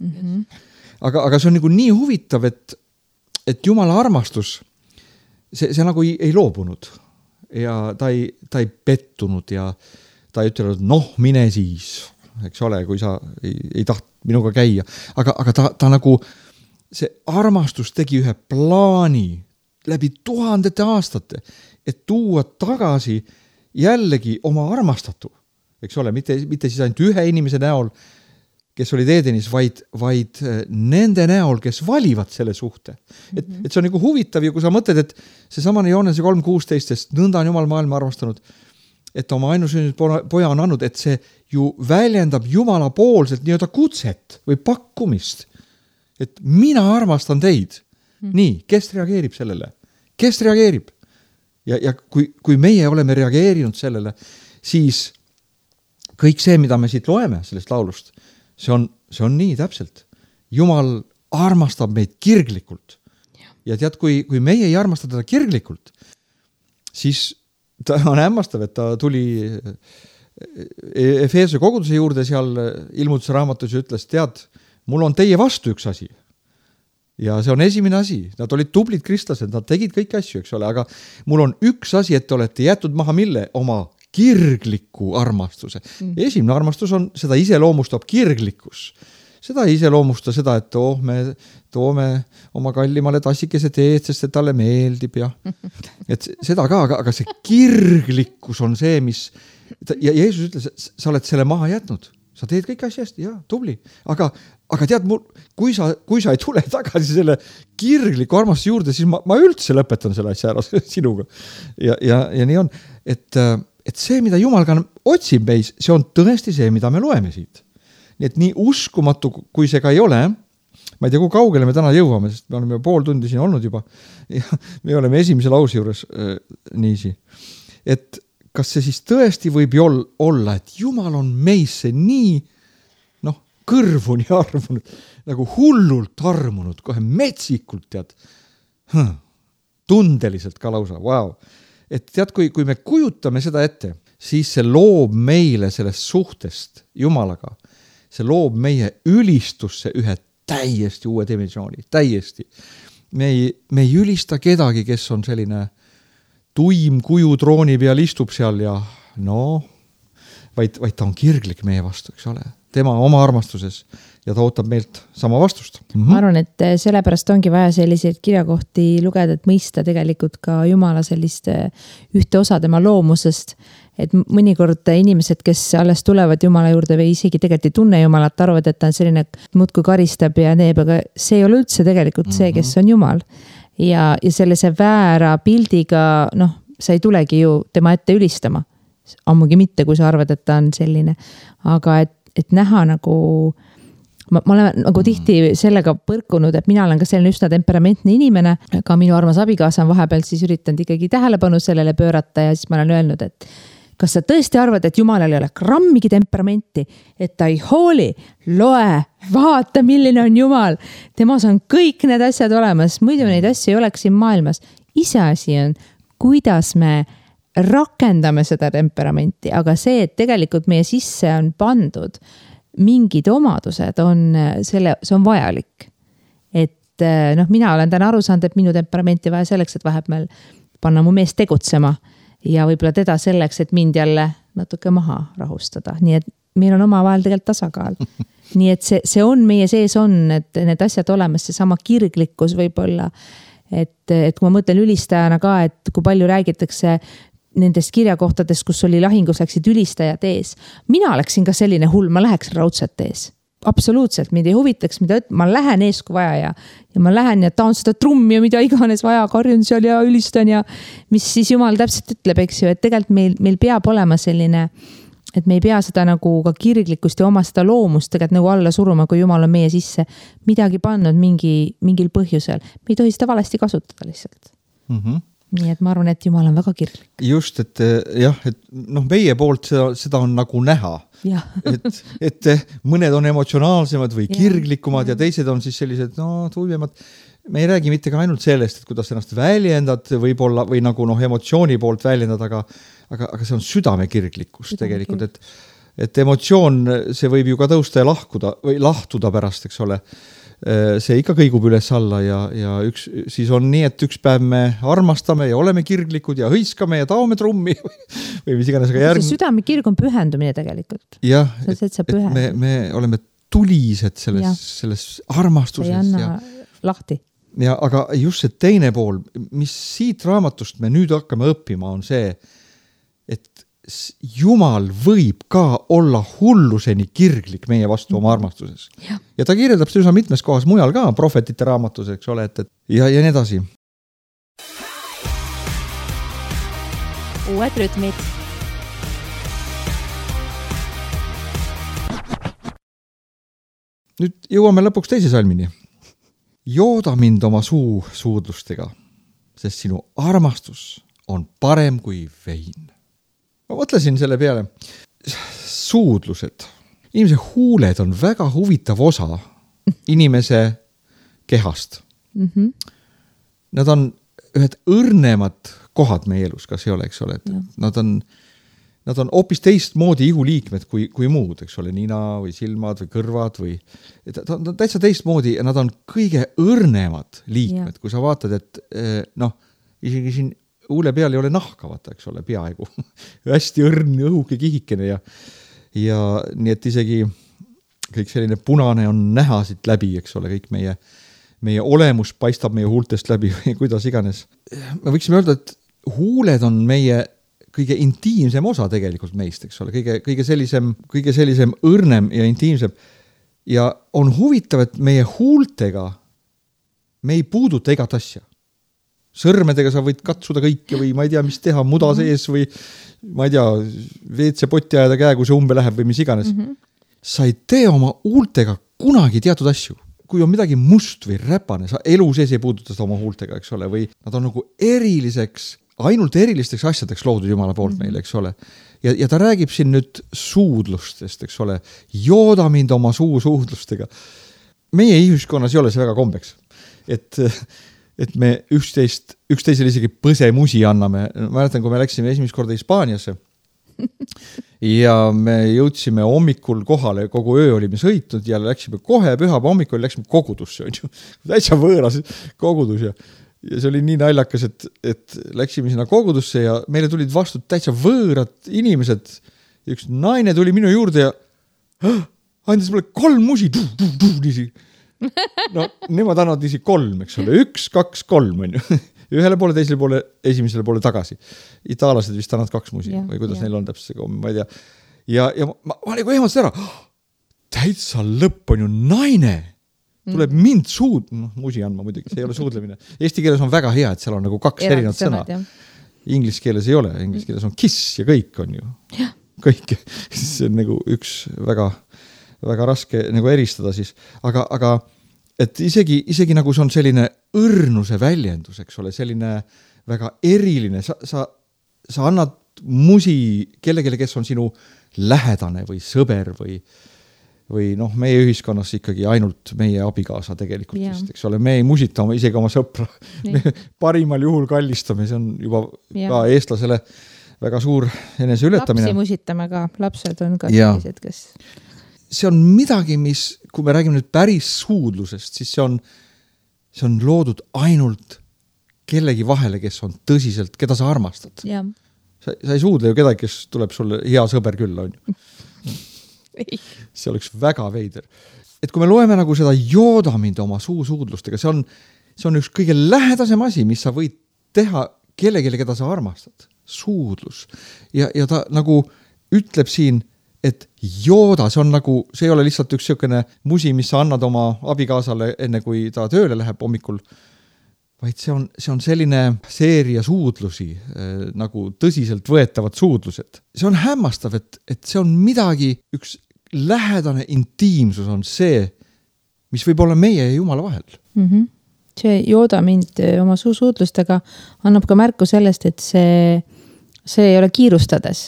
Mm-hmm. Aga, aga see on nagu nii huvitav, et, et Jumala armastus, see, see nagu ei, ei loobunud ja ta ei, ta ei pettunud ja ta ei ütelnud, noh, mine siis, eks ole, kui sa ei, ei taht minuga käia. Aga, aga ta, ta nagu, see armastus tegi ühe plaani läbi tuhandete aastate, et tuua tagasi jällegi oma armastatu. Eks ole, mitte, mitte siis ainult ühe inimese näol, kes olid Edenis, vaid, vaid nende näol, kes valivad selle suhte. Et, et see on nagu huvitav ja kui sa mõtled, et see samane Joonese kolm kuusteist, sest nõnda on Jumal maailma armastanud, et oma ainusünnitud poja on andnud, et see ju väljendab Jumala poolselt nii-öelda kutset või pakkumist. Et mina armastan teid. Mm. Nii, kes reageerib sellele? Kes reageerib? Ja, ja kui, kui meie oleme reageerinud sellele, siis kõik see, mida me siit loeme sellest laulust, see on, see on nii täpselt. Jumal armastab meid kirglikult. Ja, ja tead, kui, kui meie ei armasta teda kirglikult, siis ta on hämmastav, et ta tuli Efeese koguduse juurde seal ilmutuse raamatus ja ütles, tead, mul on teie vastu üks asi. Ja see on esimene asi. Nad olid tublid kristlased, nad tegid kõiki asju, eks ole, aga mul on üks asi, et te olete jätud maha mille oma kirgliku armastuse. Mm. Esimene armastus on, seda iseloomustab kirglikkus. Seda iseloomusta seda, et oh, me toome oma kallimale tassikese teed, sest et talle meeldib ja et seda ka, aga, aga see kirglikkus on see, mis ja Jeesus ütles, sa oled selle maha jätnud. Sa teed kõik asja hästi, jah, tubli. Aga, aga tead, mul, kui, sa, kui sa ei tule tagasi selle kirgliku armastuse juurde, siis ma, ma üldse lõpetan selle asja ära sinuga. Ja, ja, ja nii on, et et see, mida Jumal ka otsib meis, see on tõesti see, mida me loeme siit. Nii et nii uskumatu, kui see ka ei ole, ma ei tea, kui kaugele me täna jõuame, sest me oleme pool tundi siin olnud juba ja me oleme esimese lause juures äh, niisi. Et kas see siis tõesti võib olla, et Jumal on meisse nii noh, kõrvuni armunud, nagu hullult armunud, kohe metsikult, tead, hm, tundeliselt ka lausa, wow. Et tead, kui, kui me kujutame seda ette, siis see loob meile sellest suhtest Jumalaga. See loob meie ülistusse ühe täiesti uue dimensiooni, täiesti. Me ei, me ei ülista kedagi, kes on selline tuim kuju trooni peal istub seal ja no, vaid, vaid ta on kirglik meie vastu, eks ole. Tema oma armastuses ja ta ootab meilt sama vastust. Mm-hmm. Ma arvan, et sellepärast ongi vaja selliseid kirjakohti lugeda, et mõista tegelikult ka Jumala sellist ühte osa tema loomusest, et mõnikord inimesed, kes alles tulevad Jumala juurde või isegi tegelikult ei tunne Jumalat, arvad, et ta on selline muudkui karistab ja neeb, aga see ei ole üldse tegelikult see, kes on Jumal. Ja, ja sellise väära pildiga, noh, sa ei tulegi ju tema ette ülistama. Ammugi mitte, kui sa arvad, et ta on selline. Aga et, et näha nagu ma, ma olen nagu tihti sellega põrkunud, et mina olen ka selline üsna temperamentne inimene, ka minu armas abikaasa on vahepeal siis üritanud ikkagi tähelepanu sellele pöörata ja siis ma olen öelnud, et kas sa tõesti arvad, et Jumalal ei ole grammigi temperamenti, et ta ei hooli, loe, vaata, milline on Jumal. Temas on kõik need asjad olemas, muidu neid asju ei oleks siin maailmas. Iseasi on, kuidas me rakendame seda temperamenti, aga see, et tegelikult meie sisse on pandud mingid omadused, on, selle, see on vajalik. Et noh, mina olen täna aru saanud, et minu temperamenti vaja selleks, et vahepeal panna mu mees tegutsema ja võib-olla teda selleks, et mind jälle natuke maha rahustada. Nii et meil on oma vahel tegelikult tasakaal. Nii et see, see on meie sees on, et need asjad olemas, see sama kirglikkus võib-olla, et, et kui ma mõtlen ülistajana ka, et kui palju räägitakse nendest kirjakohtadest, kus oli lahingus läksid ülistajad ees. Mina oleksin ka selline hull, ma läheks raudselt ees. absoluutselt, mind ei huvitaks, mida ma lähen ees kui vaja ja, ja ma lähen ja taon seda trummi ja mida iganes vaja, karjun seal ja ülistan ja mis siis jumal täpselt ütleb, eks ju, et tegelikult meil, meil peab olema selline, et me ei pea seda nagu ka kirglikkust ja oma seda loomust tegelikult nagu alla suruma, kui jumal on meie sisse midagi pannud mingi, mingil põhjusel. Me ei tohi seda valesti kasutada lihtsalt. Mhm. Nii et ma arvan, et jumal on väga kirglik. Just, et jah, et noh, meie poolt seda, seda on nagu näha. Ja. et, et mõned on emotsionaalsemad või kirglikumad ja, ja teised on siis sellised no, tuimemad. Me ei räägi mitte ka ainult sellest, et kuidas ennast väljendad võib-olla või nagu noh, emotsiooni poolt väljendad, aga, aga, aga see on südame kirglikkus südame tegelikult, et, et emotsioon, see võib ju ka tõusta ja lahkuda või lahtuda pärast, eks ole. See ikka kõigub üles alla ja, ja üks, siis on nii, et üks päev me armastame ja oleme kirglikud ja hõiskame ja taome trummi või mis iganes, aga järg... südame kirg on pühendumine tegelikult. Jah, et, et me, me oleme tulised selles, selles armastuses. See ei anna ja, lahti. Ja, aga just see teine pool, mis siit raamatust me nüüd hakkame õppima, on see, et Jumal võib ka olla hulluseni kirglik meie vastu oma armastuses. Ja, ja ta kirjeldab seda mitmes kohas mujal ka, prohvetite raamatus, eks ole, et, et ja, ja nii edasi. Uued rütmid. Nüüd jõuame lõpuks teise salmini. Jooda mind oma suu suudlustega, sest sinu armastus on parem kui vein. Ma mõtlesin selle peale. Suudlused. Inimese huuled on väga huvitav osa inimese kehast. Mm-hmm. Nad on ühed õrnemad kohad meie elus, kas ei ole, eks ole. Nad on, nad on hoopis teistmoodi ihuliikmed kui, kui muud, eks ole, nina või silmad või kõrvad või ta on täitsa teistmoodi ja nad on kõige õrnemad liikmed, ja. Kui sa vaatad, et noh, isegi siin huule peal ei ole nahka, vaata, eks ole, peaaegu. Hästi õrn, õhuke kihikene ja, ja nii, et isegi kõik selline punane on näha siit läbi, eks ole, kõik meie, meie olemus paistab meie huultest läbi või kuidas iganes. Me võiksime öelda, et huuled on meie kõige intiimsem osa tegelikult meist, eks ole, kõige, kõige sellisem, kõige sellisem õrnem ja intiimsem. Ja on huvitav, et meie huultega me ei puuduta igat asja. Sõrmedega sa võid katsuda kõike või ma ei tea, mis teha, muda sees või ma ei tea, veetse potti ajada käe, kui see umbe läheb või mis iganes. Mm-hmm. Sa ei tee oma huultega kunagi teatud asju. Kui on midagi must või räpane, sa elu sees ei puuduta seda oma huultega, eks ole, või nad on nagu eriliseks, ainult erilisteks asjadeks loodud Jumala poolt mm-hmm. meile, eks ole. Ja, ja ta räägib siin nüüd suudlustest, eks ole, jooda mind oma suu suudlustega. Meie ühiskonnas ei ole see väga kombeks, et et me üksteist, üksteisele isegi põsemusi anname. Mäletan, kui me läksime esimest korda Hispaaniasse ja me jõudsime hommikul kohale, kogu öö olime sõitnud ja läksime kohe pühaba hommikul, läksime kogudusse, on ju. Täitsa võõras kogudus ja, ja see oli nii naljakas, et, et läksime sinna kogudusse ja meile tulid vastu täitsa võõrad inimesed. Üks naine tuli minu juurde ja andis mulle kolm musi. Niisi. No, nemad annavad isi kolm, eks ole, üks, kaks, kolm on ju. Ühele poole, teisele poole, esimesele poole tagasi. Itaalased vist annavad kaks musi ja, või kuidas ja. Neil on täpselt see komm, ma ei tea. Ja, ja ma, ma olin kui ehmastasin ära, täitsa lõpp on ju naine. Tuleb mm. mind suud, noh, musi andma muidugi, see ei ole suudlemine. Eesti keeles on väga hea, et seal on nagu kaks ja, erinevat sõna. Inglis keeles ei ole, inglis keeles on kiss ja kõik on ju. Ja. Kõik, see on nagu üks väga... väga raske nagu eristada siis, aga, aga et isegi, isegi nagu see on selline õrnuse väljendus, eks ole, selline väga eriline, sa, sa, sa annad musi kellegele, kes on sinu lähedane või sõber või, või noh, meie ühiskonnas ikkagi ainult meie abikaasa tegelikult yeah. vist, eks ole, me ei musita oma, isegi oma sõpra, me parimal juhul kallistame, see on juba yeah. ka eestlasele väga suur eneseületamine. Lapsi musitame ka, lapsed on ka sellised, kes... See on midagi, mis, kui me räägime nüüd päris suudlusest, siis see on, see on loodud ainult kellegi vahele, kes on tõsiselt, keda sa armastad. Ja. Sa, sa ei suudle ju kedagi, kes tuleb sulle hea sõber küll, on ju. See oleks väga veider. Et kui me loeme nagu seda jooda mind oma suusuudlustega, see on, see on üks kõige lähedasem asi, mis sa võid teha kellegile, keda sa armastad. Suudlus. Ja, ja ta nagu ütleb siin, et jooda, see on nagu, see ei ole lihtsalt üks siukene musi, mis sa annad oma abikaasale enne kui ta tööle läheb hommikul, vaid see on, see on selline seeria suudlusi, äh, nagu tõsiselt võetavad suudlused. See on hämmastav, et, et see on midagi, üks lähedane intiimsus on see, mis võib olla meie ja Jumala vahel. Mm-hmm. See jooda mind oma suusuudlustega annab ka märku sellest, et see, see ei ole kiirustades.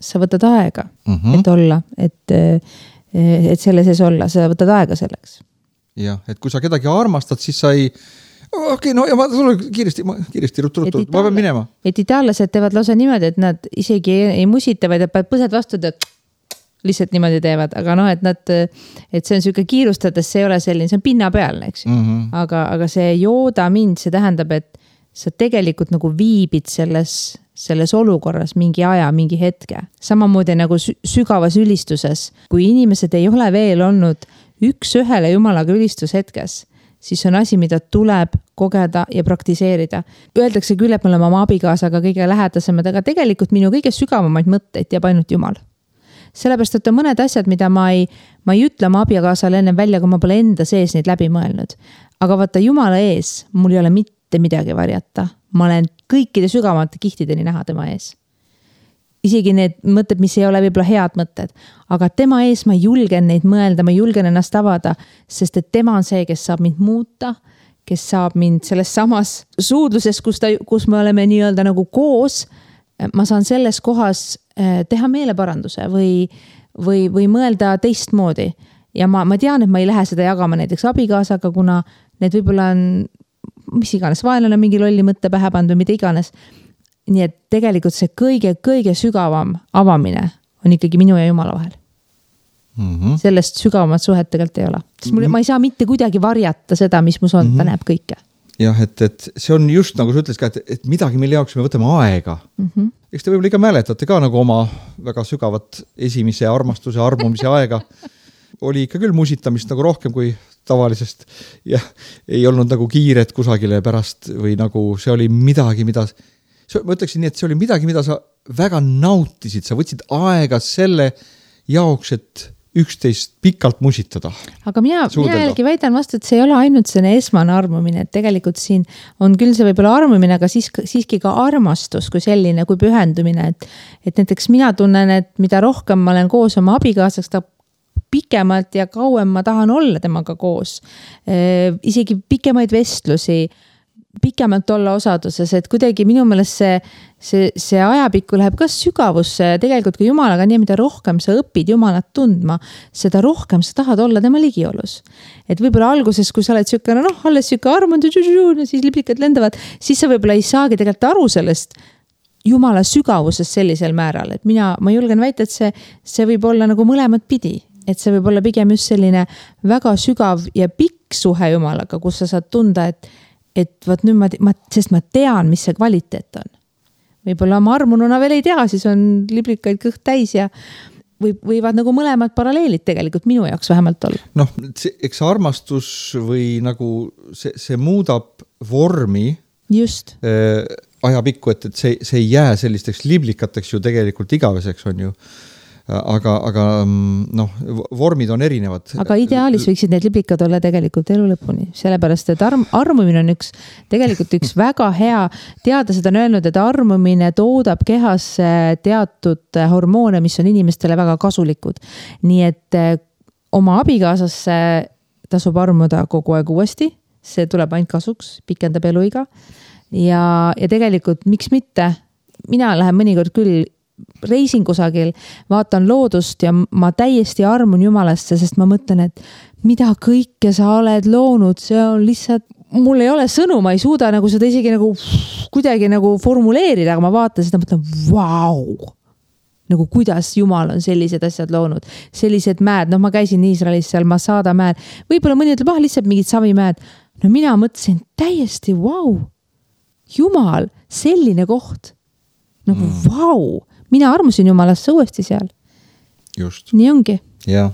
Sa võtad aega, mm-hmm. et olla, et, et selle sees olla, sa võtad aega selleks. Jah, et kui sa kedagi armastad, siis sa ei, okei, okay, no ja ma tulen kiiresti, ma, kiiresti ruttu, ruttu, ma pean minema. Et itaallased teevad lausa niimoodi, et nad isegi ei, ei musita, vaid et põsed vastu, et lihtsalt niimoodi teevad, aga noh, et nad, et see on selline kiirustades, see ei ole selline, see on pinna peal, eks mm-hmm. aga, aga see jooda mind, see tähendab, et sa tegelikult nagu viibid selles, selles olukorras mingi aja, mingi hetke. Samamoodi nagu sügavas ülistuses, kui inimesed ei ole veel olnud üks ühele Jumalaga ülistushetkes, siis on asi, mida tuleb kogeda ja praktiseerida. Öeldakse küll, et me oleme oma abikaasaga kõige lähedasemad, aga tegelikult minu kõige sügavamaid mõtteid teab ainult Jumal. Sellepärast, et on mõned asjad, mida ma ei, ma ei ütle oma abikaasale enne välja, kui ma pole enda sees neid läbi mõelnud. Aga vaata, Jumala ees mul ei ole mitte midagi varjata. Ma olen kõikide sügavamate kihtideni näha tema ees. Isegi need mõtted, mis ei ole võib-olla head mõtted. Aga tema ees ma julgen neid mõelda, ma julgen ennast avada, sest et tema on see, kes saab mind muuta, kes saab mind selles samas suudluses, kus, ta, kus me oleme nii-öelda nagu koos. Ma saan selles kohas teha meeleparanduse või, või, või mõelda teistmoodi. Ja ma, ma tean, et ma ei lähe seda jagama näiteks abikaasaga, kuna need võib-olla on, mis iganes, vaenlane mingi lolli mõtte pähe pannud või mida iganes. Nii et tegelikult see kõige, kõige sügavam avamine on ikkagi minu ja Jumala vahel. Mm-hmm. Sellest sügavamat suhet tegelikult ei ole. Sest mul, ma ei saa mitte kuidagi varjata seda, mis mus on, mm-hmm. ta näeb kõike. Jah, et, et see on just nagu sa ütles ka, et, et midagi, mille jaoks me võtame aega. Mm-hmm. Eks te võib-olla ikka mäletate ka nagu oma väga sügavat esimese armastuse, armumise aega. Oli ikka küll musitamist nagu rohkem kui tavalisest ja ei olnud nagu kiiret kusagile pärast või nagu see oli midagi, mida, ma ütleksin nii, et see oli midagi, mida sa väga nautisid, sa võtsid aega selle jaoks, et üksteist pikalt musitada. Aga mina, mina jällegi väidan vastu, et see ei ole ainult selline esmane armumine, et tegelikult siin on küll see võib-olla armumine, aga siis, siiski ka armastus kui selline, kui pühendumine, et, et näiteks mina tunnen, et mida rohkem ma olen koos oma abikaasaks, ta pikemalt ja kauem ma tahan olla temaga koos. E, isegi pikemaid vestlusi, pikemalt olla osaduses, et kuidagi minu meelest see, see, see ajapikku läheb ka sügavusse, tegelikult kui Jumalaga nii, mida rohkem sa õpid Jumalat tundma, seda rohkem sa tahad olla tema ligiolus. Et võib-olla alguses, kui sa oled sükane, noh, alles süke armund, siis liblikad lendavad, siis sa võib-olla ei saagi tegelikult aru sellest Jumala sügavuses sellisel määral, et mina, ma julgen väita, et see, see võib olla nagu mõlemad pidi, et see võib olla pigem just selline väga sügav ja pikk suhe Jumalaga, kus sa saad tunda, et et võt nüüd ma, ma, sest ma tean, mis see kvaliteet on. Võib-olla ma armununa veel ei tea, siis on liblikaid kõht täis ja või, võivad nagu mõlemad paralleelid tegelikult minu jaoks vähemalt olla. Noh, eks armastus või nagu see, see muudab vormi just äh, ajapikku, et, et see, see ei jää sellisteks liblikateks ju tegelikult igaveseks on ju. Aga, aga noh, vormid on erinevad. Aga ideaalis võiksid need liblikad olla tegelikult elu lõpuni, sellepärast, et arm, armumine on üks, tegelikult üks väga hea, teadlased on öelnud, et armumine toodab kehas teatud hormoone, mis on inimestele väga kasulikud. Nii et oma abikaasasse tasub armuda kogu aeg uuesti, see tuleb ainult kasuks, pikendab eluiga ja, ja tegelikult miks mitte, mina lähen mõnikord küll reisin kusagil, vaatan loodust ja ma täiesti armun Jumalasse, sest ma mõtlen, et mida kõike sa oled loonud, see on lihtsalt, mul ei ole sõnu, ma ei suuda nagu seda isegi nagu kuidagi nagu formuleerida, aga ma vaatan seda, mõtlen, vau, nagu kuidas Jumal on sellised asjad loonud, sellised mäed, noh ma käisin Iisraelis seal Masada mäed, võib-olla mõni ütleb, ah, lihtsalt mingid savimäed, no mina mõtlesin täiesti, vau, Jumal, selline koht, nagu mm. vau, mina armusin Jumalasse uuesti seal. Just. Nii ongi. Ja.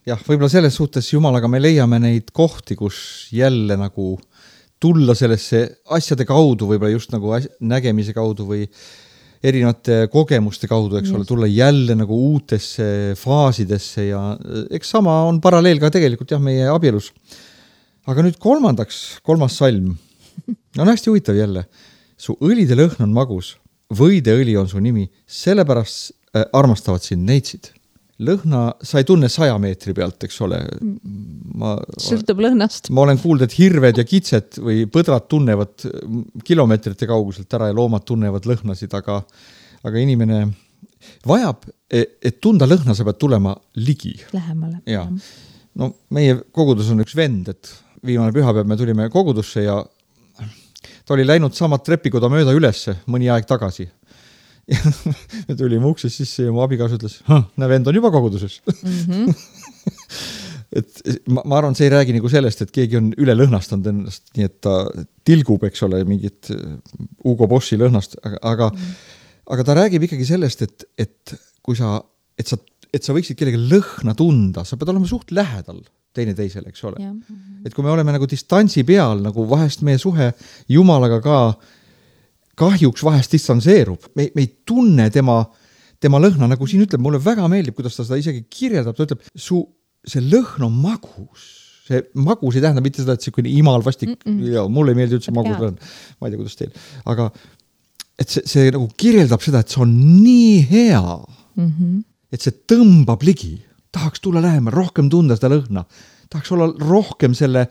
Jah, võib-olla selles suhtes Jumalaga me leiame neid kohti, kus jälle nagu tulla sellesse asjade kaudu, võib-olla just nagu nägemise kaudu või erinevate kogemuste kaudu, eks ole, tulla jälle nagu uutesse faasidesse ja eks sama on paralleel ka tegelikult jah, meie abielus. Aga nüüd kolmandaks, kolmas salm. No on hästi huvitav jälle. Su õlide lõhn on magus, võideõli on su nimi, sellepärast äh, armastavad sind neitsid. Lõhna sa ei tunne saja meetri pealt, eks ole. Ma, Sõltub lõhnast. Ma olen kuulnud, et hirved ja kitsed või põdrad tunnevad kilomeetrite kauguselt ära ja loomad tunnevad lõhnasid, aga, aga inimene vajab, et tunda lõhna, sa pead tulema ligi. Lähemale. Ja. No meie kogudus on üks vend, et viimane pühapäev me tulime kogudusse ja ta oli läinud samat trepikoda mööda ülesse mõni aeg tagasi. Me tulime ukses sisse ja mu abikaas ütles, näe vend on juba koguduses. Mm-hmm. et ma, ma arvan, see ei räägi nagu sellest, et keegi on üle lõhnastanud ennast, nii et ta tilgub, eks ole, mingit Ugo Bossi lõhnast, aga, aga, mm. aga ta räägib ikkagi sellest, et, et kui sa, et sa, et sa võiksid kellegi lõhna tunda, sa pead olema suht lähedal teine teisele, eks ole. Mm-hmm. Et kui me oleme nagu distantsi peal, nagu vahest meie suhe Jumalaga ka kahjuks vahest distantseerub. Me, me ei tunne tema, tema lõhna, nagu siin ütleb, mulle väga meeldib, kuidas ta seda isegi kirjeldab. Ta ütleb, su, see lõhn on magus. See magus ei tähenda mitte seda, et see kuni imal vastik, ja mulle ei meeldi üldse magus lõhn. Ma ei tea, kuidas teil. Aga et see, see nagu kirjeldab seda, et see on nii hea, mm-hmm. et see tõmbab ligi. Tahaks tulla lähema, rohkem tunda seda lõhna. Tahaks olla rohkem selle,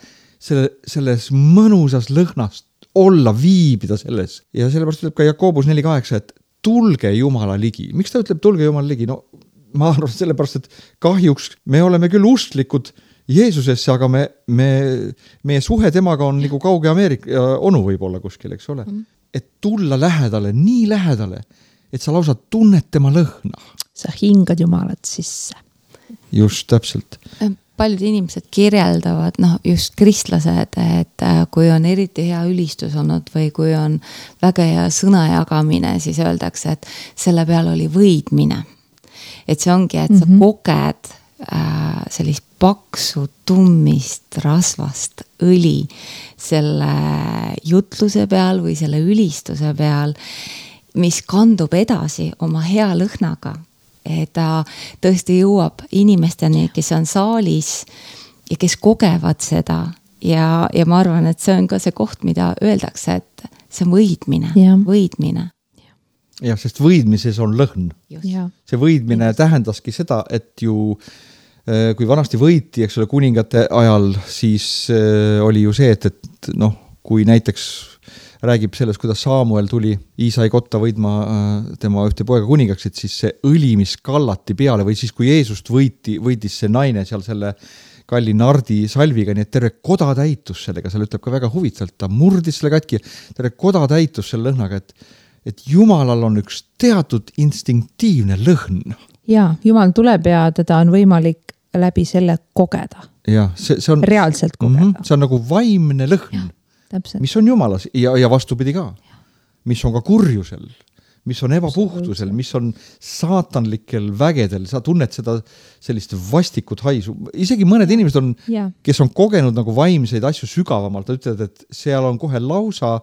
selle, selles mõnusas lõhnast olla, viibida selles. Ja sellepärast ütleb ka Jakobus neli kaheksa, et tulge Jumala ligi. Miks ta ütleb tulge Jumala ligi? No ma arvan sellepärast, et kahjuks me oleme küll ustlikud Jeesusesse, aga me, me, meie suhe temaga on nagu kauge Ameerika onu võib-olla kuskil, eks ole. Mm. Et tulla lähedale, nii lähedale, et sa lausa tunned tema lõhna. Sa hingad Jumalat sisse. Just, täpselt. Paljud inimesed kirjeldavad, noh, just kristlased, et kui on eriti hea ülistus olnud või kui on väga hea sõna jagamine, siis öeldakse, et selle peal oli võidmine. Et see ongi, et sa mm-hmm. koged äh, sellist paksu, tummist, rasvast õli selle jutluse peal või selle ülistuse peal, mis kandub edasi oma hea lõhnaga. Et ta tõesti jõuab inimesteni, kes on saalis ja kes kogevad seda. Ja, ja ma arvan, et see on ka see koht, mida öeldakse, et see on võidmine, ja. võidmine. Ja, sest võidmises on lõhn. Ja. See võidmine Just. tähendaski seda, et ju kui vanasti võiti, eks ole, kuningate ajal, siis oli ju see, et, et noh, kui näiteks räägib sellest, kuidas Saamuel tuli Iisai kotta võidma tema ühte poega kuningaks, et siis see õli, mis kallati peale või siis kui Jeesust võiti, võitis see naine seal selle kalli nardi salviga, nii et terve koda täitus sellega, seal ütleb ka väga huvitavalt, ta murdis selle katki, terve koda täitus selle lõhnaga, et, et Jumalal on üks teatud instinktiivne lõhn. Ja, Jumal tuleb ja teda on võimalik läbi selle kogeda. Ja, see, see on reaalselt kogeda. Mm-hmm, see on nagu vaimne lõhn. Ja. Täpselt. Mis on Jumalas ja, ja vastupidi ka, mis on ka kurjusel, mis on ebapuhtusel, mis on saatanlikel vägedel, sa tunned seda sellist vastikut haisu. Isegi mõned inimesed on, ja. kes on kogenud nagu vaimseid asju sügavamalt, ütlevad, et seal on kohe lausa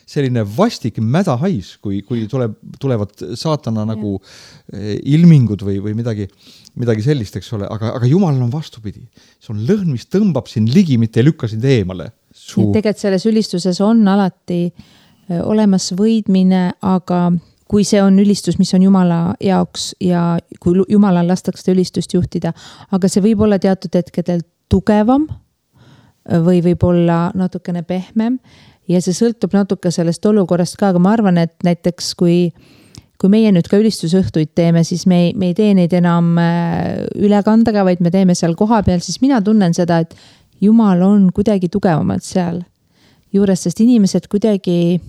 selline vastik mäda hais, kui, kui tuleb, tulevad saatana ja. nagu ilmingud või, või midagi, midagi sellist, eks ole, aga, aga Jumalal on vastupidi. See on lõhn, mis tõmbab sind ligi, mitte ei lükka sind eemale. Tegelikult selles ülistuses on alati olemas võidmine, aga kui see on ülistus, mis on Jumala jaoks ja kui Jumalal lastakse ülistust juhtida, aga see võib olla teatud hetkedel tugevam või võib olla natukene pehmem ja see sõltub natuke sellest olukorrast ka, aga ma arvan, et näiteks kui kui meie nüüd ka ülistusõhtuid teeme, siis me ei, me ei tee neid enam ülekandega, vaid me teeme seal koha peal, siis mina tunnen seda, et Jumal on kuidagi tugevamad seal juures, sest inimesed kuidagi,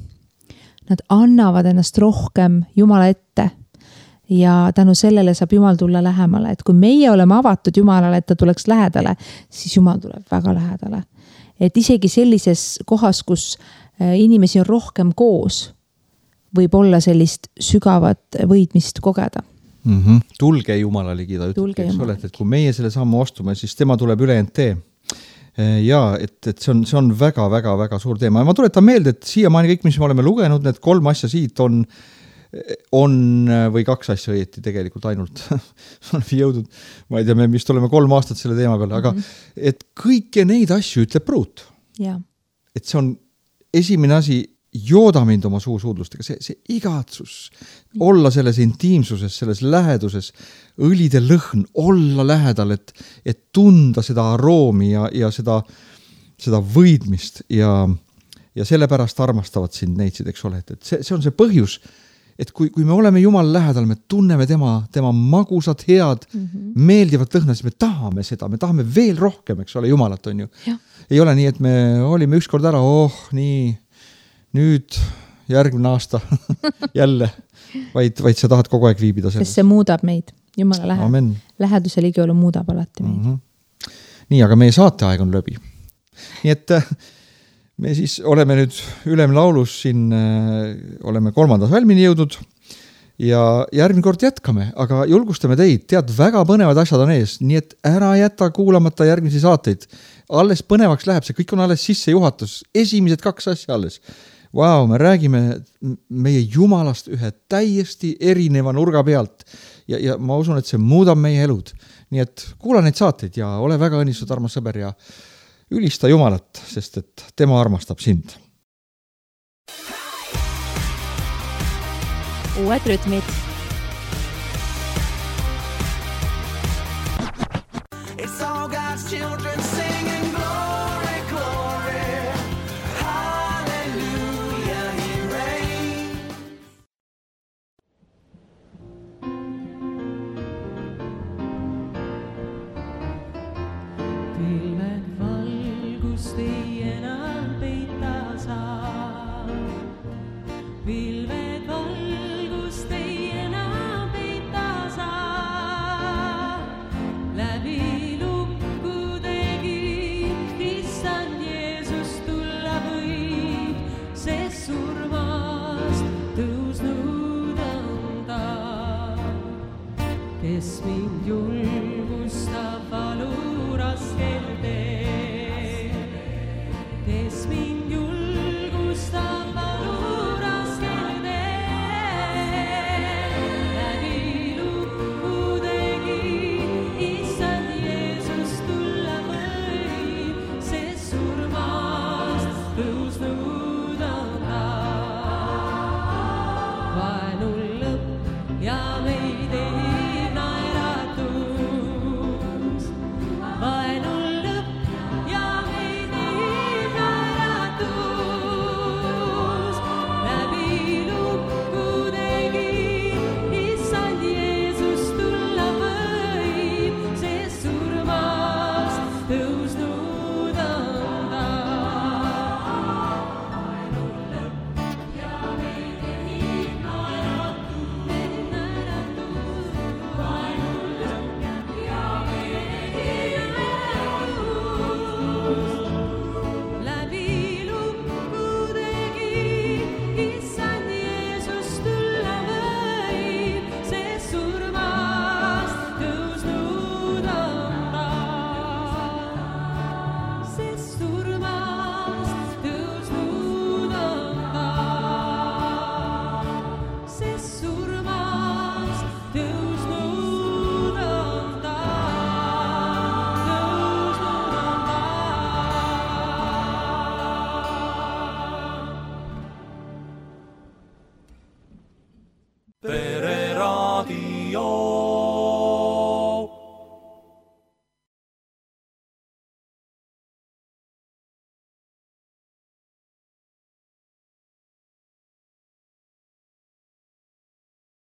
nad annavad ennast rohkem Jumala ette ja tänu sellele saab Jumal tulla lähemale. Et kui meie oleme avatud Jumalale, et ta tuleks lähedale, siis Jumal tuleb väga lähedale. Et isegi sellises kohas, kus inimesi on rohkem koos, võib olla sellist sügavat võidmist kogeda. Mm-hmm. Tulge Jumala ligi, ta ütleb, eks ole, et kui meie selle sammu astume, siis tema tuleb üle ent tee. Ja, et, et see on, see on väga, väga, väga suur teema. Ja ma tuletan meelde, et siiamaani kõik, mis me oleme lugenud, need kolm asja siit on on või kaks asja õieti tegelikult ainult oleme jõudnud, ma ei tea, me vist oleme kolm aastat selle teema peale, aga mm -hmm. et kõike neid asju ütleb pruut. Ja. Et see on esimene asi, jooda mind oma suusuudlustega, see, see igatsus, olla selles intiimsuses, selles läheduses, õlide lõhn, olla lähedal, et, et tunda seda aroomi ja, ja seda, seda võidmist ja, ja sellepärast armastavad sind neitsid, eks ole, et, et see, see on see põhjus, et kui, kui me oleme Jumal lähedal, me tunneme tema, tema magusad, head, mm -hmm. meeldivat lõhna, siis me tahame seda, me tahame veel rohkem, eks ole, Jumalat on ju. Ja. Ei ole nii, et me olime ükskord ära, oh, nii, nüüd järgmine aasta jälle, vaid, vaid sa tahad kogu aeg viibida selles. Sest see muudab meid, Jumala lähe, läheduse ligiolu muudab alati meid. Mm -hmm. Nii, aga meie saateaeg on läbi. Nii et me siis oleme nüüd Ülem laulus siin, äh, oleme kolmandas valmini jõudnud ja järgmine kord jätkame, aga julgustame teid, tead, väga põnevad asjad on ees, nii et ära jäta kuulamata järgmisi saateid. Alles põnevaks läheb, see kõik on alles sissejuhatus, esimesed kaks asja alles. Vau, me räägime meie Jumalast ühe täiesti erineva nurga pealt ja, ja ma usun, et see muudab meie elud. Nii et kuula neid saateid ja ole väga õnnistud, armas sõber, ja ülista Jumalat, sest et tema armastab sind. Uued rütmid. It's all God's children singing glory, glory. Hallelujah, he reigns. Be